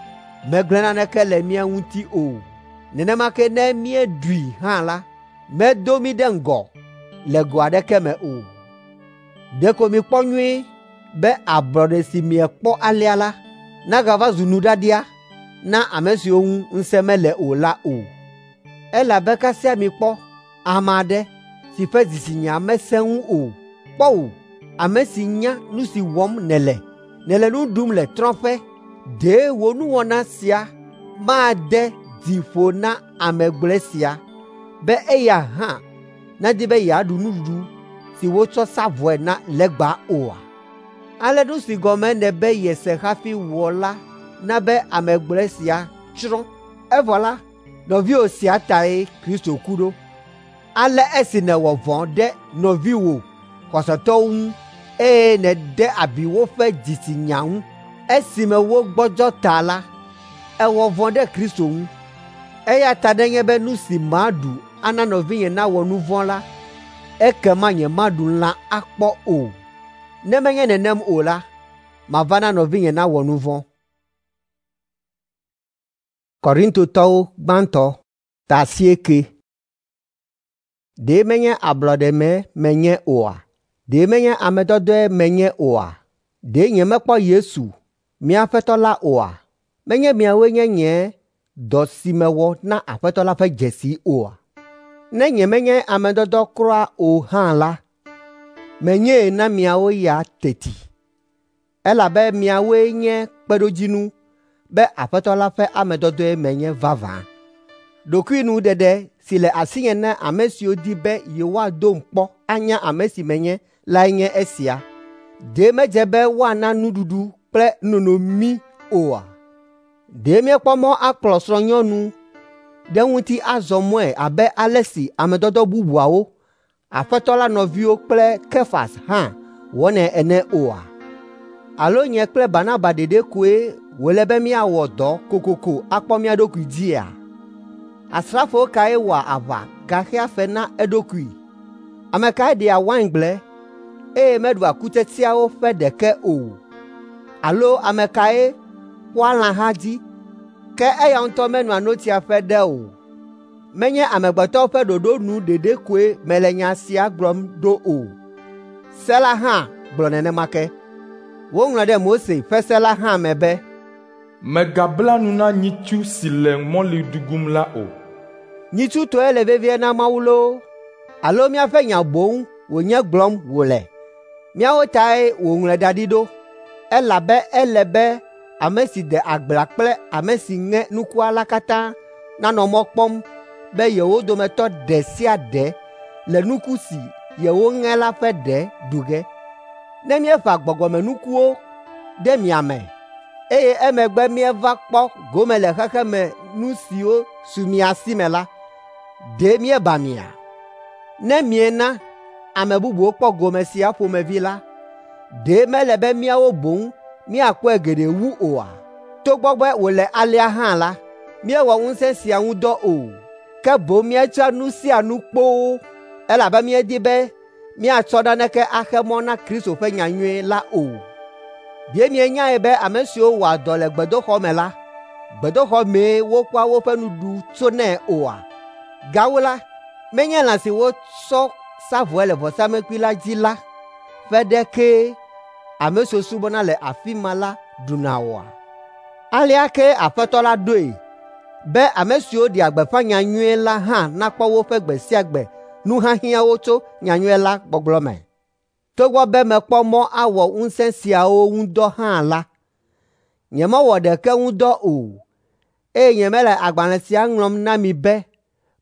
megblẽ naneke le mía ŋuti o. Nenema ke ne míeɖui hã la, medo mí ɖe ŋgɔ le go aɖeke me o. Ɖeko mikpɔ nyuie be ablɔɖe si miekpɔ alea la nagava zu nuɖaɖia na ame siwo ŋu ŋusẽ mele o la o. Elabe kasia mikpɔ ame aɖe si ƒe dzitsinya mesẽ ŋu o kpɔ wò, ame si nya nu si wɔm nèle, nèle nu ɖum le trɔ̃ƒe. Ɖe wò nuwɔna sia made dzi ƒo na ame gblɔe sia be eya hã nadi be yeaɖu nuɖuɖu si wotsɔ sa vɔe na legba oa? Ale nu si gɔme nèbe yese hafi wɔ la na be ame gblɔe sia tsrɔ̃. Evɔ la, nɔviwò sia tae Kristo ku ɖo. Ale esi nèwɔ vɔ̃ ɖe nɔviwò xɔsetɔwo ŋu eye nède abi woƒe dzitsinya ŋu esime wogbɔdzɔ ta la, èwɔ vɔ̃ ɖe Kristo ŋu. Eya ta nenye be nu si maɖu ana nɔvinye nawɔ nu vɔ̃ la, ekema nyemaɖu lã akpɔ o. Ne menye nenem o la, mava na nɔvinye nawɔ nu vɔ̃. Korintotɔwo gbãtɔ ta asieke. Ɖe menye ablɔɖeme menye oa? Ɖe menye ame dɔdɔe menye oa? Ɖe nyemekpɔ Yesu, mía Aƒetɔ la oa? Menye miawoe nye nye dɔ si mewɔ na Aƒetɔ la ƒe dzesi oa? Ne nyemenye ame dɔdɔ kura o hã la, menyee na miawo ya teti, elabe miawoe nye kpeɖodzinu be Aƒetɔ la ƒe ame dɔdɔe menye vavã. Ɖokuinuɖeɖe si le asinye na ame siwo di be yewoadom kpɔ anya ame si menye lae nye esia. Ɖe medze be woana nuɖuɖu kple nunono mí oa? Ɖe míekpɔ mɔ akplɔ srɔ̃nyɔnu ɖe ŋuti azɔ mɔe abe ale si ame dɔdɔ bubuawo, Aƒetɔ la nɔviwo kple Kefas hã wɔnɛ ene oa? Alo nye kple Barnaba ɖeɖe koe wòle be míawɔ dɔ kokoko akpɔ mía ɖokui dzia? Asrafo kae wɔa aʋa gaxea fe na eɖokui? Ame kae dea waingble, eye meɖua kutsetseawo ƒe ɖeke o? Alo ame kae kpɔa lãha dzi, ke eya ŋutɔ menoa notsia ƒe ɖe o? Menye amegbetɔwo ƒe ɖoɖo nu ɖeɖe koe mele nya sia gblɔm ɖo o. Se la hã gblɔ nenema ke. Woŋlɔ ɖe Mose ƒe se la hã me be, Mègabla nu na nyitsu si le mɔli dugum la o. Nyitsu tɔe le vevie na Mawu loo, alo míaƒe nya boŋ wònye gblɔm wòle? Míawo tae wòŋlɔe da ɖi ɖo, elabe ele be ame si de agblea kple ame si ŋe nukua la katã nanɔ mɔ kpɔm be yewo dometɔ ɖe sia ɖe le nuku si yewoŋe la ƒe ɖe ɖu ge. Ne míeƒã gbɔgbɔmenukuwo ɖe mia me, eye emegbe míeva kpɔ gome le xexeme nu siwo su mia si me la, ɖe míeba mia? Ne miena ame bubuwo kpɔ gome sia ƒomevi la, ɖe mele be míawo boŋ míakpɔe geɖe wu oa? Togbɔ be wòle alea hã la, míewɔ ŋusẽ sia ŋu dɔ o, ke boŋ míetsɔa nu sia nu kpoo, elabe míedi be míatsɔ naneke axe mɔ na Kristo ƒe nyanyui la o. Ɖe mienyae be ame siwo wɔa dɔ le gbedoxɔ me la, gbedoxɔ mee wokpɔa woƒe nuɖuɖu tsonɛ oa? Gawu la, menye lã si wotsɔ sa vɔe le vɔsamlekpui la dzi la ƒe ɖe kee ame siwo subɔna le afi ma la ɖuna oa? Alea ke Aƒetɔ la ɖoe be ame siwo ɖea gbeƒã nyanyui la hã nakpɔ woƒe gbe sia gbe nuhiahiãwo tso nyanyui la gbɔgblɔ me. Togbɔ be mekpɔ mɔ awɔ ŋusẽ siawo ŋu dɔ hã la, nyemewɔ ɖeke ŋu dɔ o, eye nyemele agbalẽ sia ŋlɔm na mi be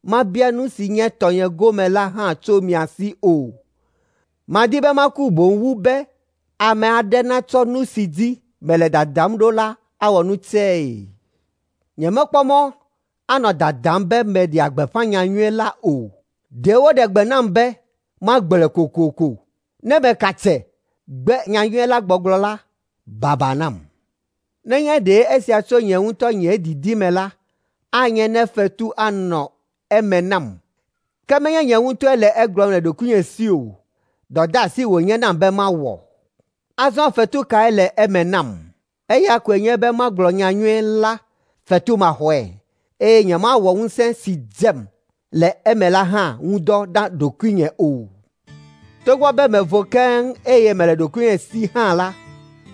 mabia nu si nye tɔnye gome la hã tso mia si o. Madi be maku boŋ wu be ame aɖe natsɔ nu si dzi mele dadam ɖo la awɔ nu tsɛe. Nyemekpɔ mɔ anɔ dadam be meɖea gbeƒã nyanyui la o. Ɖe woɖe gbe nam be magblɔe kokoko. Ne meka tse gbe nyanyui la gbɔgblɔ la, baba nam. Nenye ɖe esia tso nye ŋutɔ nye didi me la, anye ne fetu anɔ eme nam. Ke menye nye ŋutɔe le egblɔm le ɖokuinye si o. Dɔdeasi wònye nam be mawɔ. Azɔ fetu kae le eme nam? Eya koe nye be magblɔ nyanyui la fetumaxɔe, eye nyemawɔ ŋusẽ si dzem le eme la hã ŋu dɔ na ɖokuinye o. Togbɔ be mevo keŋ eye mele ɖokuinye si hã la,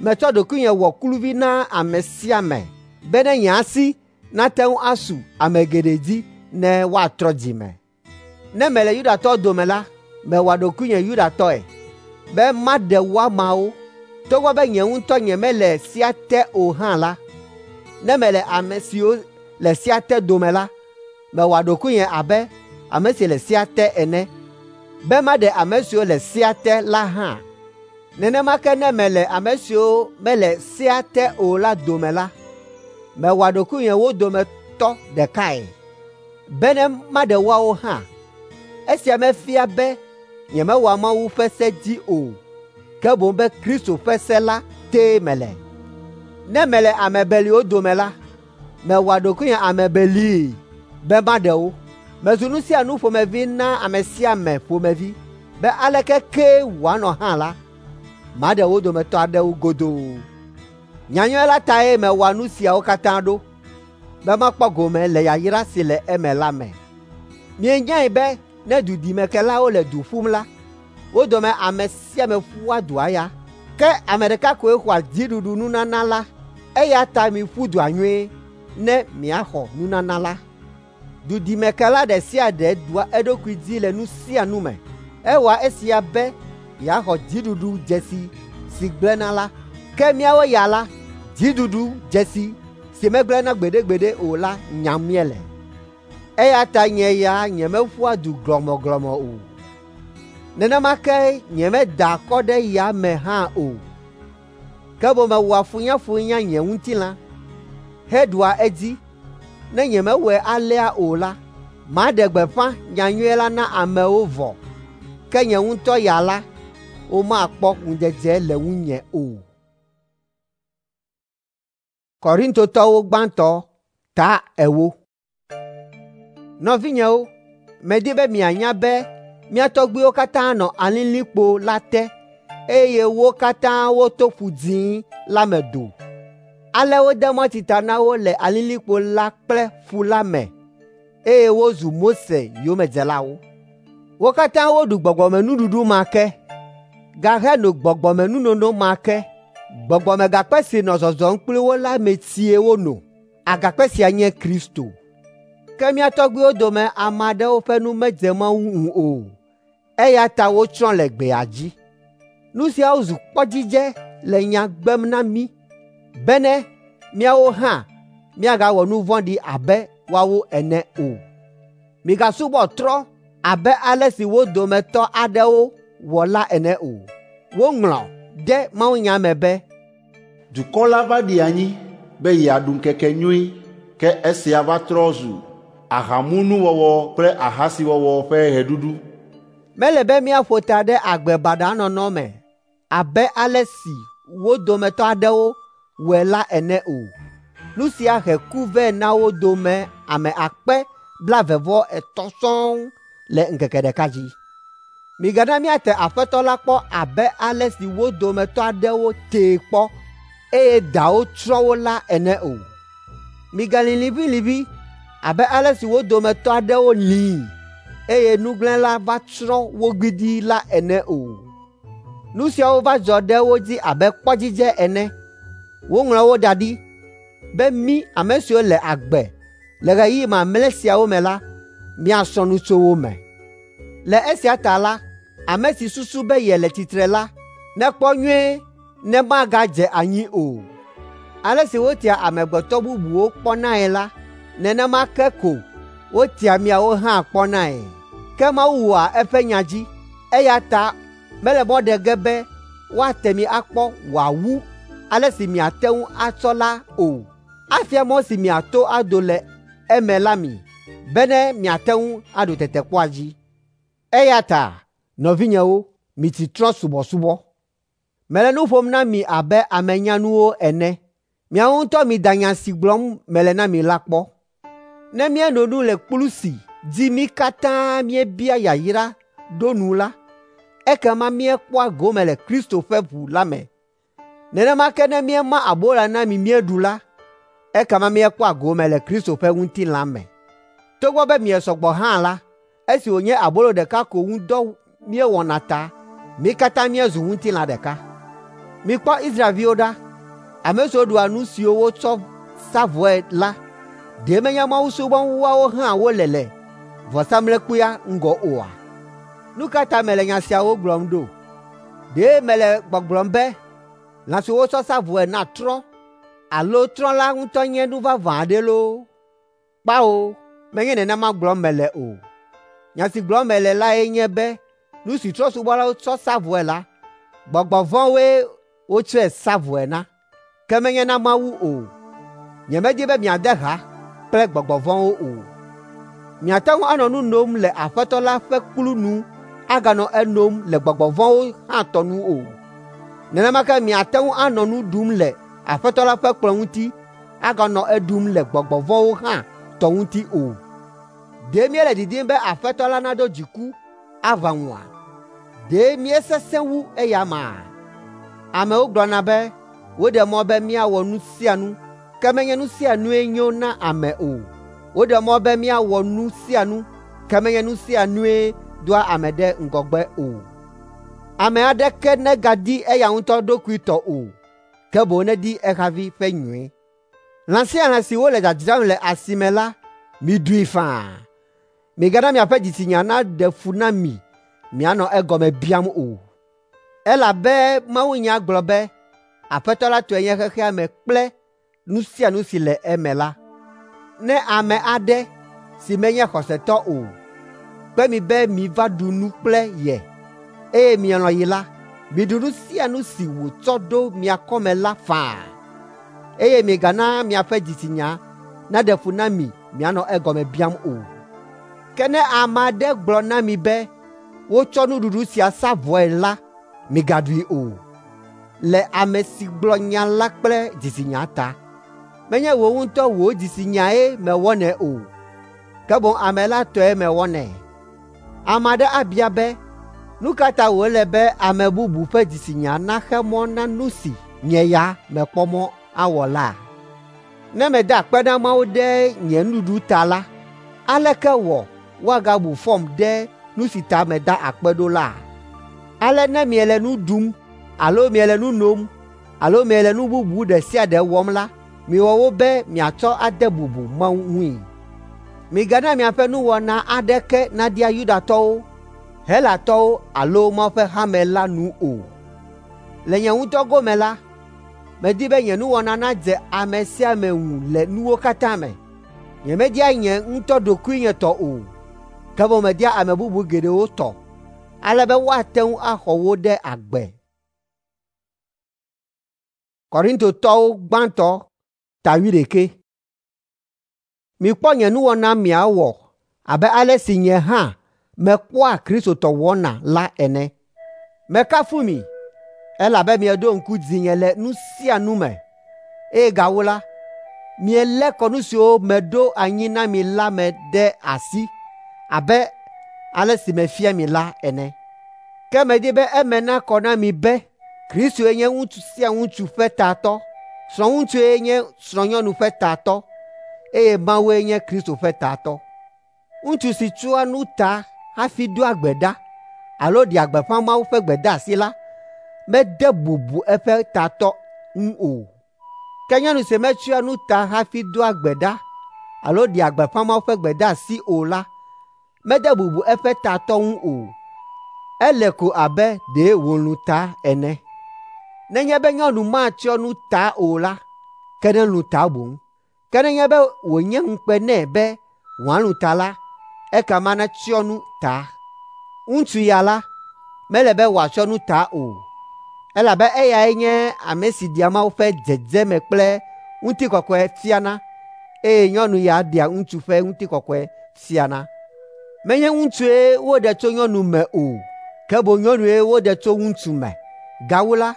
metsɔ ɖokuinye wɔ kluvi na ame sia ame bene nye asi nate ŋu asu ame geɖe dzi ne woatrɔ dzi me. Ne mele Yudatɔwo dome la, mewɔa ɖokuinye Yudatɔe be maɖe woamawo. Togbɔ be nye ŋutɔ nyemele sea te o hã la, ne mele ame siwo le sea te dome la, mewɔa ɖokuinye abe ame si le sea te ene, be maɖe ame siwo le sea te la hã. Nenema ke ne mele ame siwo mele sea te o la dome la, mewɔa ɖokuinye wo dometɔ ɖekae, bene maɖe woawo hã. Esia mefia be nyemewɔa Mawu ƒe se dzi o, ke boŋ be Kristo ƒe se la tee mele. Ne mele ame beliwo dome la, mewɔa ɖokuinye ame belii be maɖe wo. Mezu nu sia nu ƒomevi na ame sia ame ƒomevi be aleke kee wòanɔ hã la, maɖe wo dometɔ aɖewo godoo. Nyanyui la tae mewɔa nu siawo katã ɖo, be makpɔ gome le yayra si le eme la me. Mienyae be ne dudimekelawo le du ƒum la, wo dome ame sia ame ƒua dua ya, ke ame ɖeka koe xɔa dziɖuɖu nunana la. Eya ta miƒu dua nyuie ne miaxɔ nunana la. Dudimekela ɖe sia ɖe ɖua eɖokui dzi le nu sia nu me. Ewɔa esia be yeaxɔ dziɖuɖu dzesi si gblẽna la. Ke míawo ya la, dziɖuɖu dzesi si megblẽna gbeɖegbeɖe o la nyam míele. Eya ta nye ya nyemeƒua du glɔmɔglɔmɔ o. Nenema ke nyemedaa akɔ ɖe ya me hã o. Ke boŋ mewɔa funyafunya nye ŋutilã heɖua edzi. Ne nyemewɔe alea o la, maɖe gbeƒã nyanyui la na amewo vɔ, ke nye ŋutɔ ya la, womakpɔ ŋudzedze le ŋunye o. Korintotɔwo gbãtɔ ta ewo. Nɔvinyewo, medi be mianya be Mía tɔgbuiwo katã nɔ alilikpo la te eye wo katã woto Ƒu Dzĩ la me do. Ale wode mɔtsi ta na wo le alilikpo la kple ƒu la me eye wozu Mose yomedzelawo. Wo katã woɖu gbɔgbɔmenuɖuɖu ma ke, gaheno gbɔgbɔmenunono ma ke. Gbɔgbɔmegakpe si nɔ zɔzɔm kpli wo la me tsie wono. Agakpe sia nye Kristo. Ke mía tɔgbuiwo dome ame aɖewo ƒe nu medze Mawu ŋu o, eya ta wotsrɔ̃ le gbea dzi. Nu siawo zu kpɔdzidze le nya gbem na mí bene míawo hã míagawɔ nu vɔ̃ɖi abe woawo ene o. Migasubɔ trɔ̃ abe ale si wo dometɔ aɖewo wɔ la ene o. Woŋlɔ ɖe mawunya me be, Dukɔ la va ɖi anyi be yeaɖu ŋkekenyui, ke esia va trɔ zu ahamunuwɔwɔ kple ahasiwɔwɔ ƒe ɣeɖuɖu. Mele be míaƒo ta ɖe agbe baɖa nɔnɔ me abe ale si wo dometɔ aɖewo wɔe la ene o. Nu sia he ku vɛ na wo dome ame akpe blaeve-vɔ-etɔ̃ sɔŋ le ŋkeke ɖeka dzi. Migana míate Aƒetɔ la kpɔ abe ale si wo dometɔ aɖewo tee kpɔ eye dawo tsrɔ̃ wo la ene o. Migalĩ liʋĩliʋĩ abe ale si wo dometɔ aɖewo lĩi eye nugblẽla va tsrɔ̃ wo gbidii la ene o. Nu siawo va dzɔ ɖe wo dzi abe kpɔdzidze ene. Woŋlɔ wo da ɖi be mí ame siwo le agbe le ɣeyiɣi mamlɛ siawo me la, míasrɔ̃ nu tso wo me. Le esia ta la, ame si susu be yele tsitre la, nekpɔ nyuie ne magadze anyi o. Ale si wotia amegbetɔ bubuwo kpɔnae la, nenema ke ko wotia miawo hã kpɔnae. Ke Mawu wɔa eƒe nya dzi, eya ta mele mɔ ɖe ge be woate mi akpɔ wòawu ale si miate ŋu atsɔ la o. Afia mɔ si miato ado le eme la mi, bene miate ŋu aɖu tetekpɔa dzi. Eya ta, nɔvinyewo, mitsi trɔ̃subɔsubɔ. Mele nu ƒom na mi abe ame nyanuwo ene. Miawo ŋutɔ mida nya si gblɔm mele na mi la kpɔ. Ne míeno nu le kplu si dzi mí katã míebia yayra ɖo nu la, ekema míekpɔa gome le Kristo ƒe ʋu la me. Nenema ke ne míema abolo na mi míeɖu la, ekema míekpɔa gome le Kristo ƒe ŋutilã me. Togbɔ be miesɔ gbɔ hã la, esi wònye abolo ɖeka ko ŋu dɔ míewɔna ta, mí katã míezu ŋutilã ɖeka. Mikpɔ Israelviwo ɖa, ame siwo ɖua nu siwo wotsɔ sa vɔe la, ɖe menye Mawu subɔm woawo hã wole le vɔsamlekpuia ŋgɔ oa? Nu ka ta mele nya siawo gblɔm ɖo? Ɖe mele gbɔgblɔm be lã si wotsɔ sa vɔe na trɔ̃ alo trɔ̃ la ŋutɔ nye nu vavã aɖe loo? Kpao, menye nenema gblɔm mele o. Nya si gblɔm mele lae nye be nu si trɔ̃subɔlawo tsɔ sa vɔe la, gbɔgbɔ vɔ̃woe wotsɔe sa vɔe na, ke menye na Mawu o. Nyemedi be miade ha kple gbɔgbɔ vɔ̃wo o. Miate ŋu anɔ nu nom le Aƒetɔ la ƒe kplu nu aganɔ enom le gbɔgbɔ vɔ̃wo hã tɔ nu o. Nenema ke miate ŋu anɔ nu ɖum le Aƒetɔ la ƒe kplɔ̃ ŋuti aganɔ eɖum le gbɔgbɔ vɔ̃wo hã tɔ ŋuti o. Ɖe míele didim be Aƒetɔ la nado dziku aʋã ŋua? Ɖe míesesẽ wu eya amea? Amewo gblɔna be woɖe mɔ be míawɔ nu sia nu, ke menye nu sia nue nyo na ame o. Woɖe mɔ be míawɔ nu sia nu, ke menye nu sia nue doa ame ɖe ŋgɔgbe o. Ame aɖeke negadi eya ŋutɔ ɖokui tɔ o, ke boŋ nedi ehavi ƒe nyui. Lã sia lã si wole dzadzram le asi me la, miɖui faa. Migana miaƒe dzitsinya naɖe fu na mi mianɔ egɔme biam o. Elabe mawunya gblɔ be, Aƒetɔ la tɔe nye xexea me kple nu sia nu si le eme la. Ne ame aɖe si menye xɔsetɔ o kpe mi be miva ɖu nu kple ye, eye mielɔ̃ yi la, miɖu nu sia nu si wòtsɔ ɖo mia kɔme la faa, eye migana miaƒe dzitsinya naɖe fu na mi mianɔ egɔme biam o. Ke ne ame aɖe gblɔ na mi be wotsɔ nuɖuɖu sia sa vɔe la, migaɖui o, le ame si gblɔ nya la kple dzitsinya ta. Menye wò ŋutɔ wò dzitsinyae mewɔnɛ o, ke boŋ ame la tɔe mewɔnɛ. Ame aɖe abia be, nu ka ta wòle be ame bubu ƒe dzitsinya naxe mɔ na nu si nye ya mekpɔ mɔ awɔ la? Ne meda akpe na Mawu ɖe nye nuɖuɖu ta la, aleke wɔ woagabu fɔm ɖe nu si ta meda akpe ɖo la? Ale ne miele nu ɖum alo miele nu nom alo miele nu bubu ɖe sia ɖe wɔm la, miwɔ wo be miatsɔ ade bubu Mawu ŋui. Migana miaƒe nuwɔna aɖeke naɖia Yudatɔwo, Helatɔwo alo Mawu ƒe hame la nu o. Le nye ŋutɔ gome la, medi be nye nuwɔna nadze ame sia ame ŋu le nuwo katã me. Nyemedia nye ŋutɔ ɖokuinye tɔ o, ke boŋ media ame bubu geɖewo tɔ, ale be woate ŋu axɔ wo ɖe agbe. Korintotɔwo gbãtɔ ta wuiɖekɛ. Mikpɔ nye nuwɔna miawɔ abe ale si nye hã mekpɔa Kristo tɔ wɔna la ene. Mekafu mi, elabe mieɖo ŋku dzinye le nu sia nu me, eye gawu la, mielé kɔnu siwo meɖo anyi na mi la me ɖe asi abe ale si mefia mi la ene. Ke medi be eme nakɔ na mi be Kristoe nye ŋutsu sia ŋutsu ƒe tatɔ, srɔ̃ŋutsue nye srɔ̃nyɔnu ƒe tatɔ, eye Mawue nye Kristo ƒe tatɔ. Ŋutsu si tsyɔa nu ta hafi doa gbe ɖa alo ɖea gbeƒã Mawu ƒe gbedeasi la, mede bubu eƒe tatɔ ŋu o. Ke nyɔnu si metsyɔa nu ta hafi doa gbe ɖa alo ɖea gbeƒã Mawu ƒe gbedeasi o la, mede bubu eƒe tatɔ ŋu o. Ele ko abe ɖe wòlũ ta ene. Nenye be nyɔnu matsyɔ nu ta o la, ke nelũ ta boŋ. Ke nenye be wònye ŋukpe nɛ be wòalũ ta la, ekema netsyɔ nu ta. Ŋutsu ya la, mele be wòatsyɔ nu ta o, elabe eyae nye ame si ɖea Mawu ƒe dzedzeme kple ŋutikɔkɔe fiana, eye nyɔnu ya ɖea ŋutsu ƒe ŋutikɔkɔe fiana. Menye ŋutsue woɖe tso nyɔnu me o, ke boŋ nyɔnue woɖe tso ŋutsu me. Gawu la,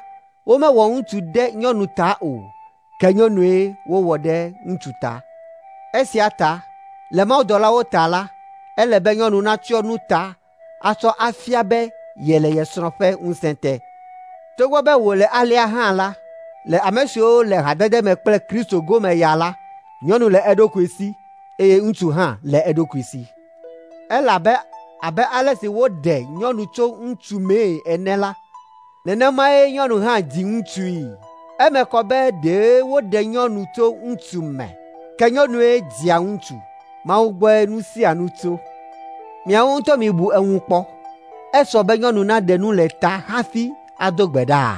womewɔ ŋutsu ɖe nyɔnu ta o, ke nyɔnue wowɔ ɖe ŋutsu ta. Esia ta, le mawudɔlawo ta la, ele be nyɔnu natsyɔ nu ta atsɔ afia be yele ye srɔ̃ ƒe ŋusẽ te. Togbɔ be wòle alea hã la, le ame siwo le hadede me kple Kristo gome ya la, nyɔnu le eɖokui si eye ŋutsu hã le eɖokui si. Elabe abe ale si woɖe nyɔnu tso ŋutsu mee ene la, nenemae nyɔnu hã dzi ŋutsui. Eme kɔ be ɖe woɖe nyɔnu tso ŋutsu me, ke nyɔnue dzia ŋutsu. Mawu gbɔe nu sia nu tso. Miawo ŋutɔ mibu eŋu kpɔ. Esɔ be nyɔnu naɖe nu le ta hafi ado gbe ɖa?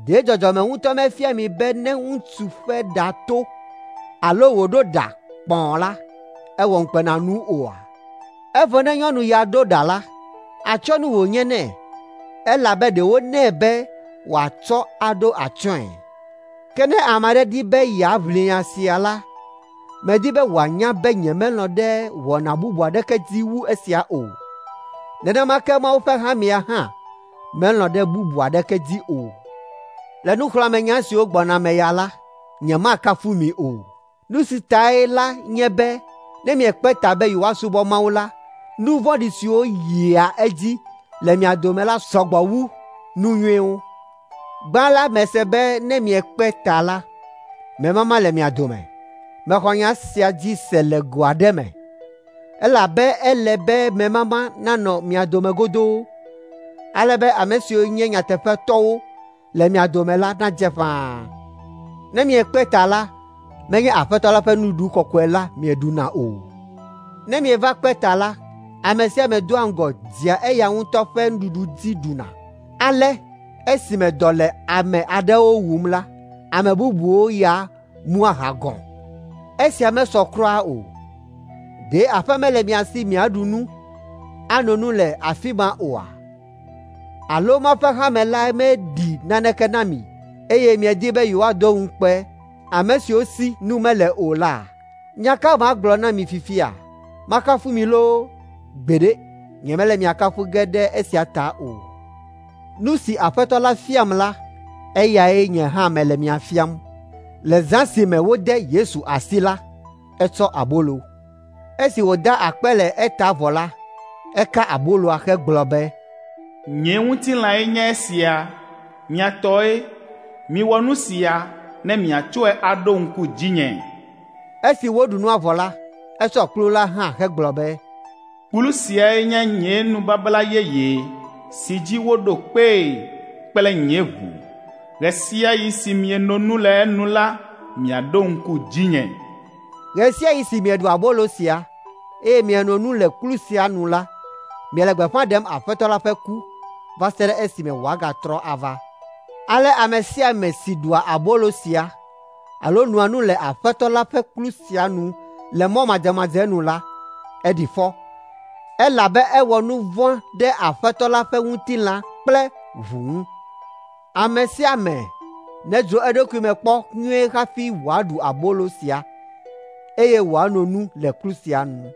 Ɖe dzɔdzɔme ŋutɔ mefia mi be ne ŋutsu ƒe ɖa to alo wòɖo ɖa kpɔ̃ la, ewɔ ŋukpenanu oa? Evɔ ne nyɔnu ya ɖo ɖa la, atsyɔ̃nu wònye nɛ, elabe ɖe wonɛ be wòatsɔ aɖo atsyɔ̃e. Ke ne ame aɖe di be yeaʋli nya sia la, medi be wòanya be nyemelɔ̃ ɖe wɔna bubu aɖeke dzi wu esia o. Nenema ke Mawu ƒe hamea hã melɔ̃ ɖe bubu aɖeke dzi o. Le nuxlɔ̃amenya siwo gbɔna me ya la, nyemakafu mi o. Nu si tae la nye be ne miekpe ta be yewoasubɔ Mawu la, nu vɔ̃ɖi siwo yia edzi le mia dome la sɔgbɔ wu nu nyuiwo. Gbã la mese be ne miekpe ta la, memama le mia dome. Mexɔ nya sia dzi se le go aɖe me, elabe ele be memama nanɔ mia dome godoo, ale be ame siwo nye nyateƒetɔwo le mia dome la nadze ƒãa. Ne miekpe ta la, menye Aƒetɔ la ƒe nuɖuɖu kɔkɔe la mieɖuna o. Ne mieva kpe ta la, ame sia ame doa ŋgɔ dzea eya ŋutɔ ƒe nuɖuɖu dzi ɖuna. Ale esime dɔ le ame aɖewo wum la, ame bubuwo ya mua aha gɔ̃. Esia mesɔ kura o. Ɖe aƒe mele mia si miaɖu nu, ano nu le afi ma oa? Alo Mawu ƒe hame la meɖi naneke na mi, eye miedi be yewoado ŋukpe ame siwo si nu mele o la? Nya ka magblɔ na mi fifia? Makafu mi loo? Gbeɖe, nyemele mia kafu ge ɖe esia ta o. Nu si Aƒetɔ la fiam la, eyae nye hã mele mia fiam. Le zã si me wode Yesu asi la, etsɔ abolo. Esi wòda akpe le eta vɔ la, Eka aboloa hegblɔ be, “Nye ŋutilãe nye esia, mia tɔe. Miwɔ nu sia ne miatsɔe aɖo ŋku dzinye.” Esi woɖu nua vɔ la, esɔ kplu la hã hegblɔ be, “Kplu siae nye nye nubabla yeye si dzi woɖo kpee kple nye ʋu. Ɣe sia ɣi si mieno nu le enu la, miaɖo ŋku dzinye.” Ɣe sia ɣi si mieɖu abolo sia, eye mieno nu le kplu sia nu la, miele gbeƒã ɖem Aƒetɔ la ƒe ku va se ɖe esime wòagatrɔ ava. Ale ame sia ame si ɖua abolo sia alo noa nu le Aƒetɔ la ƒe kplu sia nu le mɔ madzemadze nu la, eɖi fɔ, elabe ewɔ nu vɔ̃ ɖe Aƒetɔ la ƒe ŋutilã kple ʋu ŋu. Ame sia ame nedzro eɖokui me kpɔ nyuie hafi wòaɖu abolo sia, eye wòano nu le kplu sia nu.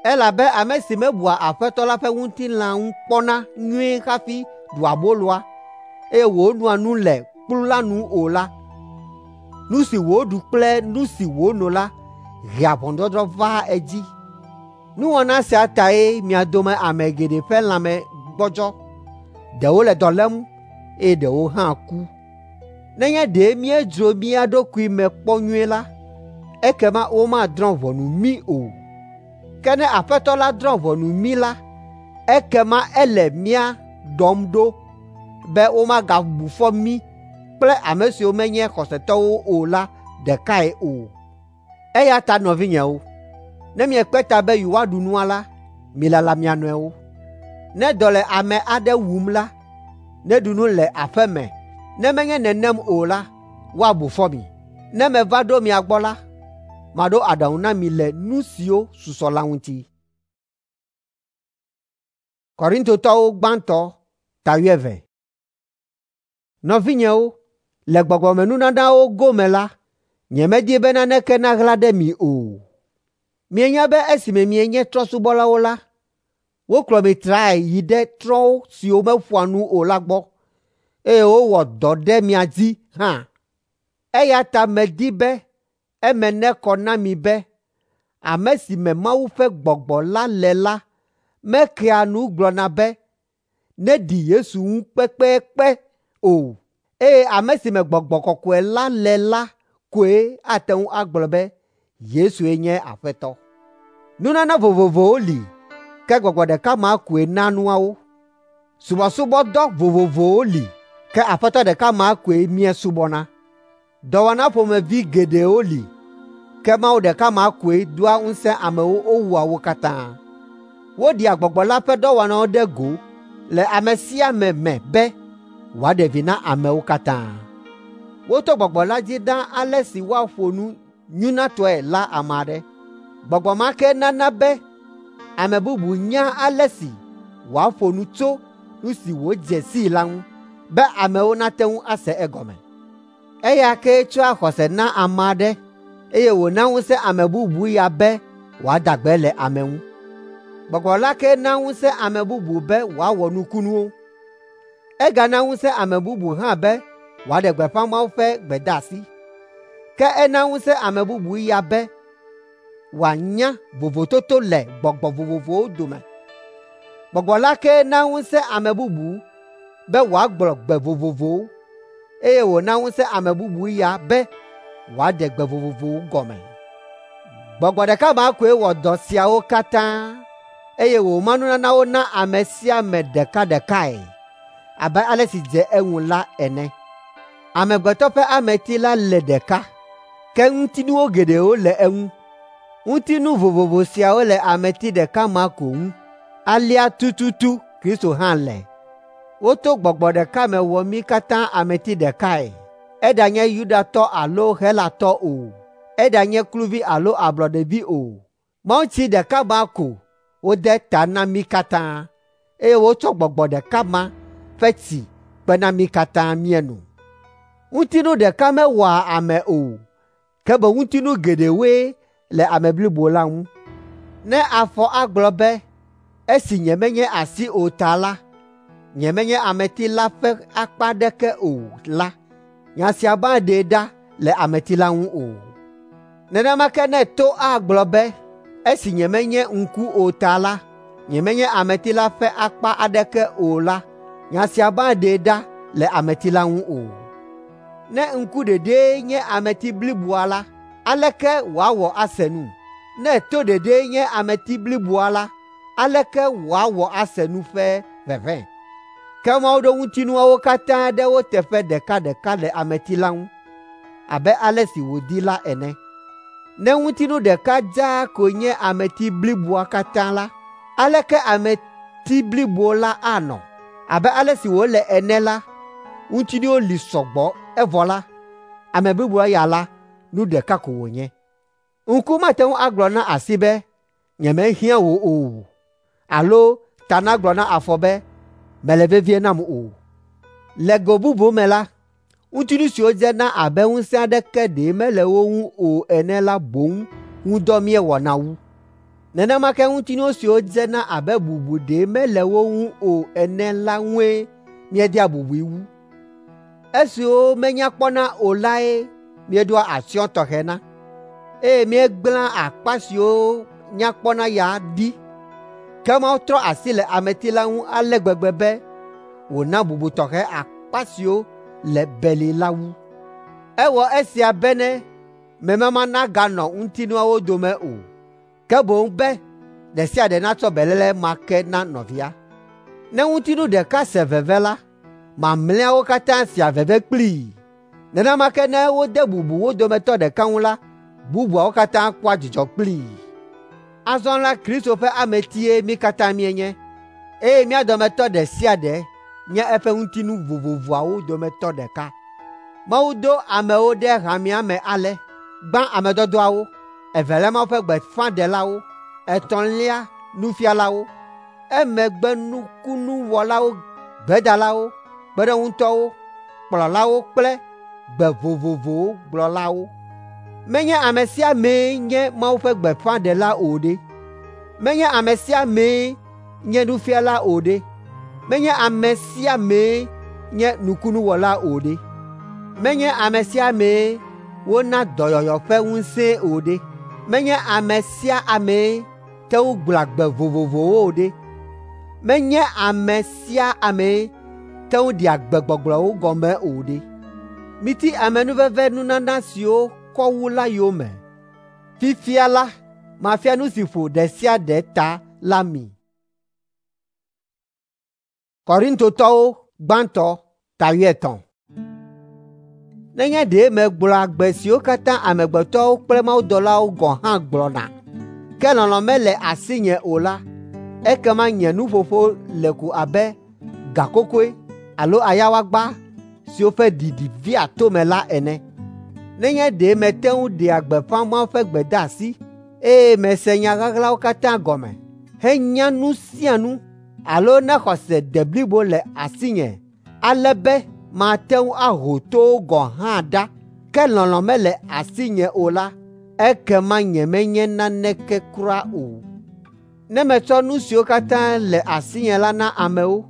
Elabe ame si mebua Aƒetɔ la ƒe ŋutilã ŋu kpɔna nyuie hafi ɖua aboloa, eye wònoa nu le kplu la nu o la, nu si wòɖu kple nu si wòno la hea ʋɔnudɔdrɔ̃ vaa edzi. Nuwɔna sia tae mia dome ame geɖe ƒe lãme gbɔdzɔ, ɖewo le dɔ lém eye ɖewo hã ku. Nenye ɖe míedzro mía ɖokui me kpɔ nyuie la, ekema womadrɔ̃ ʋɔnu mí o. Ke ne Aƒetɔ la drɔ̃ ʋɔnu mí la, ekema ele mía ɖɔm ɖo be womagabu fɔ mí kple ame siwo menye xɔsetɔwo o la ɖekae o. Eya ta nɔvinyewo, ne miekpe ta be yewoaɖu nua la, milala mia nɔewo. Ne dɔ le ame aɖe wum la, neɖu nu le aƒe me. Ne menye nenem o la, woabu fɔ mi. Ne meva ɖo mia gbɔ la, maɖo aɖaŋu na mi le nu siwo susɔ la ŋuti. Korintotɔwo gbãtɔ ta wuieve. Nɔvinyewo, le gbɔgbɔmenunanawo gome la, nyemedi be naneke naɣla ɖe mi o. Mienya be esime mienye trɔ̃subɔlawo la, wokplɔ mi trae yi ɖe trɔ̃ siwo meƒoa nu o la gbɔ, eye wowɔ dɔ ɖe mia dzi hã. Eya ta medi be eme nekɔ na mi be ame si me Mawu ƒe Gbɔgbɔ la le la mekea nu gblɔna be neɖi Yesu ŋu kpekpekpe o, eye ame si me Gbɔgbɔ Kɔkɔe la le la koe ate ŋu agblɔ be Yesue nye Aƒetɔ. Nunana vovovowo li, ke Gbɔgbɔ ɖeka ma koe na nuawo. Subɔsubɔdɔ vovovowo li, ke Aƒetɔ ɖeka ma koe míesubɔna. Dɔwɔna ƒomevi geɖewo li, ke Mawu ɖeka ma koe doa ŋusẽ amewo wowɔa wo katã. Woɖea Gbɔgbɔ la ƒe dɔwɔnawo ɖe go le ame sia ame me be wòaɖe vi na amewo katã. Woto Gbɔgbɔ la dzi na ale si woaƒo nu nyunatɔe la ame aɖe. Gbɔgbɔ ma ke nana be ame bubu nyaa ale si wòaƒo nu tso nu si wòdze sii la ŋu be amewo nate ŋu ase egɔme. Eya kee tsɔa xɔse na ame aɖe eye wòna ŋusẽ ame bubu ya be wòada gbe le ame ŋu. Gbɔgbɔ la ke na ŋusẽ ame bubu be wòawɔ nukunuwo. Egana ŋusẽ ame bubu hã be wòaɖe gbeƒã Mawu ƒe gbedeasi. Ke ena ŋusẽ ame bubu ya be wòanya vovototo le gbɔgbɔ vovovowo dome. Gbɔgbɔ la ke na ŋusẽ ame bubu be wòagblɔ gbe vovovowo, eye wòna ŋusẽ ame bubu ya be wòaɖe gbe vovovowo gɔme. Gbɔgbɔ ɖeka ma koe wɔ dɔ siawo katã, eye wòma nunanawo na ame sia ame ɖekaɖekae abe ale si dze eŋu la ene. Amegbetɔ ƒe ameti la le ɖeka, ke ŋutinuwo geɖewo le eŋu. Ŋutinu vovovo siawo le ameti ɖeka ma ko ŋu. Alea tututu Kristo hã le. Woto gbɔgbɔ ɖeka me wɔ mí katã ameti ɖekae, eɖanye Yudatɔ alo Helatɔ o, eɖanye kluvi alo ablɔɖevi o. Mawutsi ɖeka ma ko wode ta na mí katã, eye wotsɔ gbɔgbɔ ɖeka ma ƒe tsi kpe na mí katã míeno. Ŋutinu ɖeka mewɔa ame o, ke boŋ ŋutinu geɖewoe le ame blibo la ŋu. Ne afɔ agblɔ be, “Esi nyemenye asi o ta la, nyemenye ameti la ƒe akpa aɖeke o” la, nya sia maɖee ɖa le ameti la ŋu o. Nenema ke ne to agblɔ be, “Esi nyemenye ŋku o ta la, “Nyemenye ameti la ƒe akpa aɖeke o” la, nya sia maɖee ɖa le ameti la ŋu o. Ne ŋku ɖeɖee nye ameti bliboa la, aleke wòawɔ ase nu? Ne to ɖeɖee nye ameti bliboa la, aleke wòawɔ ase nu ƒe ʋeʋẽ? Ke Mawu ɖo ŋutinuawo katã ɖe wo teƒe ɖekaɖeka le ameti la ŋu abe ale si wòdi la ene. Ne ŋutinu ɖeka dzaa ko nye ameti bliboa katã la, aleke ameti blibo la anɔ? Abe ale si wòle ene la, ŋutinuwo li sɔgbɔ evɔ la, ame bliboa ya la, nu ɖeka ko wònye. Ŋku mate ŋu agblɔ na asi be, “Nyemehiã wò o” alo ta nagblɔ na afɔ be, “Mèle vevie nam o.” Le go bubu me la, ŋutinu siwo dzena abe ŋusẽ aɖeke ɖe mele wo ŋu o ene la boŋ ŋu dɔ míewɔna wu. Nenema ke ŋutinu siwo dzena abe bubu ɖe mele wo ŋu o ene la ŋue míedea bubui wu. Esiwo menya kpɔna o lae míeɖoa atsyɔ̃ tɔxɛ na, eye míegblẽa akpa siwo nya kpɔna ya ɖi. Ke Mawu trɔ asi le ameti la ŋu ale gbegbe be wòna bubu tɔxɛ akpa siwo le beli la wu. Ewɔ esia bene memama naganɔ ŋutinuawo dome o, ke boŋ be ɖe sia ɖe natsɔ beléle ma ke na nɔvia. Ne ŋutinu ɖeka se veve la, mamlɛawo katã sea veve kplii. Nenema ke ne wode bubu wo dometɔ ɖeka ŋu la, bubuawo katã kpɔa dzidzɔ kplii. Azɔ la Kristo ƒe ametie mí katã míenye, eye mía dometɔ ɖe sia ɖe nye eƒe ŋutinu vovovoawo dometɔ ɖeka. Mawu do amewo ɖe hamea me ale: gbã ame dɔdɔawo, evelia Mawu ƒe gbeƒãɖelawo, etɔ̃lia nufialawo, emegbe nukunuwɔlawo, gbedalawo, kpeɖeŋutɔwo, kplɔlawo kple gbe vovovowo gblɔlawo. Menye ame sia amee nye Mawu ƒe gbeƒãɖela o ɖe? Menye ame sia amee nye nufiala o ɖe? Menye ame sia amee nye nukunuwɔla o ɖe? Menye ame sia amee wona dɔyɔyɔ ƒe ŋusẽe o ɖe? Menye ame sia amee te ŋu gblɔa gbe vovovowo o ɖe? Menye ame sia amee te ŋu ɖea gbegbɔgblɔwo gɔme o ɖe? Miti amenuveve nunana siwo kɔ wu la yome. Fifia la, mafia nu si ƒo ɖe sia ɖe ta la mi. Korintotɔwo gbãtɔ ta wuietɔ̃. Nenye ɖe megblɔa gbe siwo katã amegbetɔwo kple mawudɔlawo gɔ̃ hã gblɔna, ke lɔlɔ̃ mele asinye o la, ekema nye nuƒoƒo le ko abe gakokoe alo ayawagba siwo ƒe ɖiɖi vea tome la ene. Nenye ɖe mete ŋu ɖea gbeƒã Mawu ƒe gbedeasi, eye mese nya ɣaɣlawo katã gɔme, henya nu sia nu, alo ne xɔse de blibo le asinye ale be mate ŋu aho towo gɔ̃ hã ɖa, ke lɔlɔ̃ mele asinye o la, ekema nyemenye naneke kura o. Ne metsɔ nu siwo katã le asinye la na amewo,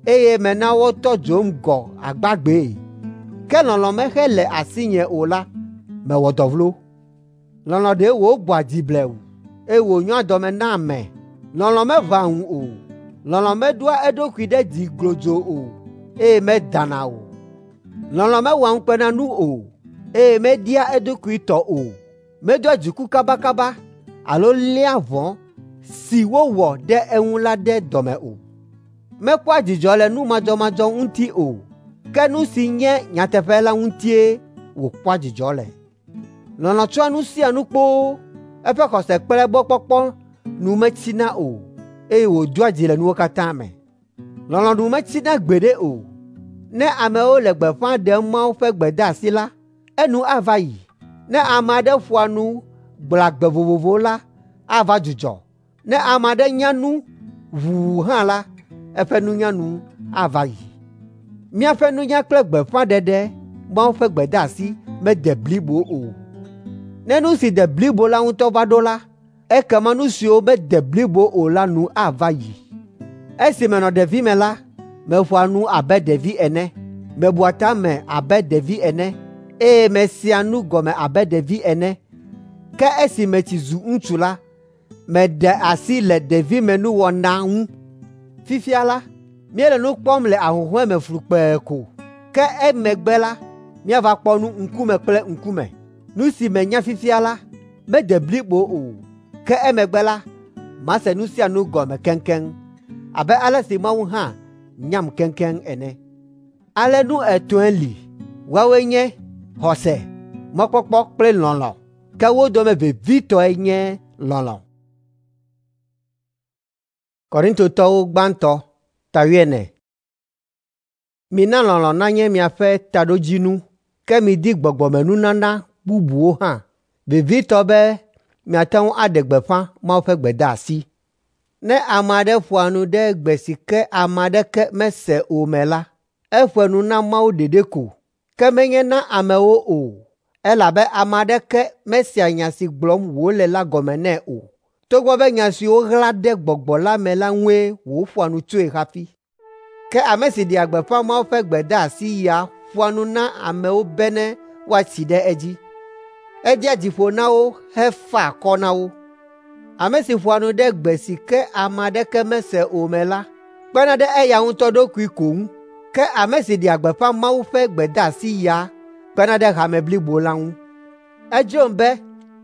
eye mena wotɔ dzom gɔ̃ agbagbee, ke lɔlɔ̃ mexele asinye o la, mewɔ dɔ vlo. Lɔlɔ̃ ɖe wògbɔa dzi blewu, eye wònyoa dɔme na ame. Lɔlɔ̃ meʋãa ŋu o. Lɔlɔ̃ meɖoa eɖokui ɖe dzi glodzo o, eye medana o. Lɔlɔ̃ mewɔa ŋukpenanu o, eye media eɖokui tɔ o. Medoa dziku kabakaba alo léa vɔ̃ si wowɔ ɖe eŋu la ɖe dɔme o. Mekpɔa dzidzɔ le nu madzɔmadzɔ ŋuti o, ke nu si nye nyateƒe la ŋutie wòkpɔa dzidzɔ le. Lɔlɔ̃ tsɔa nu sia nu kpoo, eƒe xɔse kple egbɔkpɔkpɔ nu metsina o, eye wòdoa dzi le nuwo katã me. Lɔlɔ̃ nu metsina gbeɖe o. Ne amewo le gbeƒã ɖem Mawu ƒe gbedeasi la, enu ava yi. Ne ame aɖe ƒoa nu gblɔa gbe vovovowo la, ava dzudzɔ. Ne ame aɖe nya nu ʋuu hã la, eƒe nunya nu ava yi. Míaƒe nunya kple gbeƒãɖeɖe Mawu ƒe gbedeasi mede blibo o. Ne nu si de blibo la ŋutɔ va ɖo la, ekema nu siwo mede blibo o la nu ava yi. Esi menɔ ɖevime la, meƒoa nu abe ɖevi ene, mebua ta me abe ɖevi ene, eye mesea nu gɔme abe ɖevi ene. Ke esi metsi zu ŋutsu la, Meɖe asi le ɖevimenuwɔna ŋu. Fifia la, míele nu kpɔm le ahuhɔ̃e me flukpee ko, ke emegbe la, míava kpɔ nu ŋkume kple ŋkume. Nu si menya fifia la, mede blibo o, ke emegbe la, mase nu sia nu gɔme keŋkeŋ abe ale si Mawu hã nyam keŋkeŋ ene. Ale nu etɔ̃e li, woawoe nye xɔse, mɔkpɔkpɔ kple lɔlɔ̃. Ke wo dome vevitɔe nye lɔlɔ̃. Korintotɔwo gbãtɔ ta wuiene. Mina lɔlɔ̃ nanye miaƒe taɖodzinu, ke midi gbɔgbɔmenunana bubuwo hã, vevitɔ be miate ŋu aɖe gbeƒã Mawu ƒe gbedeasi. Ne ame aɖe ƒoa nu ɖe gbe si ke ame aɖeke mese o me la, eƒoa nu na Mawu ɖeɖe ko, ke menye na amewo o, elabe ame aɖeke mesea nya si gblɔm wòle la gɔme nɛ o, togbɔ be nya siwo ɣla ɖe gbɔgbɔ la me la ŋue wòƒoa nu tsoe hafi. Ke ame si ɖea gbeƒã Mawu ƒe gbedeasi ya ƒoa nu na amewo bene woatsi ɖe edzi. Edea dzi ƒo na wo hefaa akɔ na wo. Ame si ƒoa nu ɖe gbe si ke ame aɖeke mese o me la, kpena ɖe eya ŋutɔ ɖokui ko ŋu. Ke ame si ɖea gbeƒã Mawu ƒe gbedeasi ya kpena ɖe hame blibo la ŋu. Edzrom be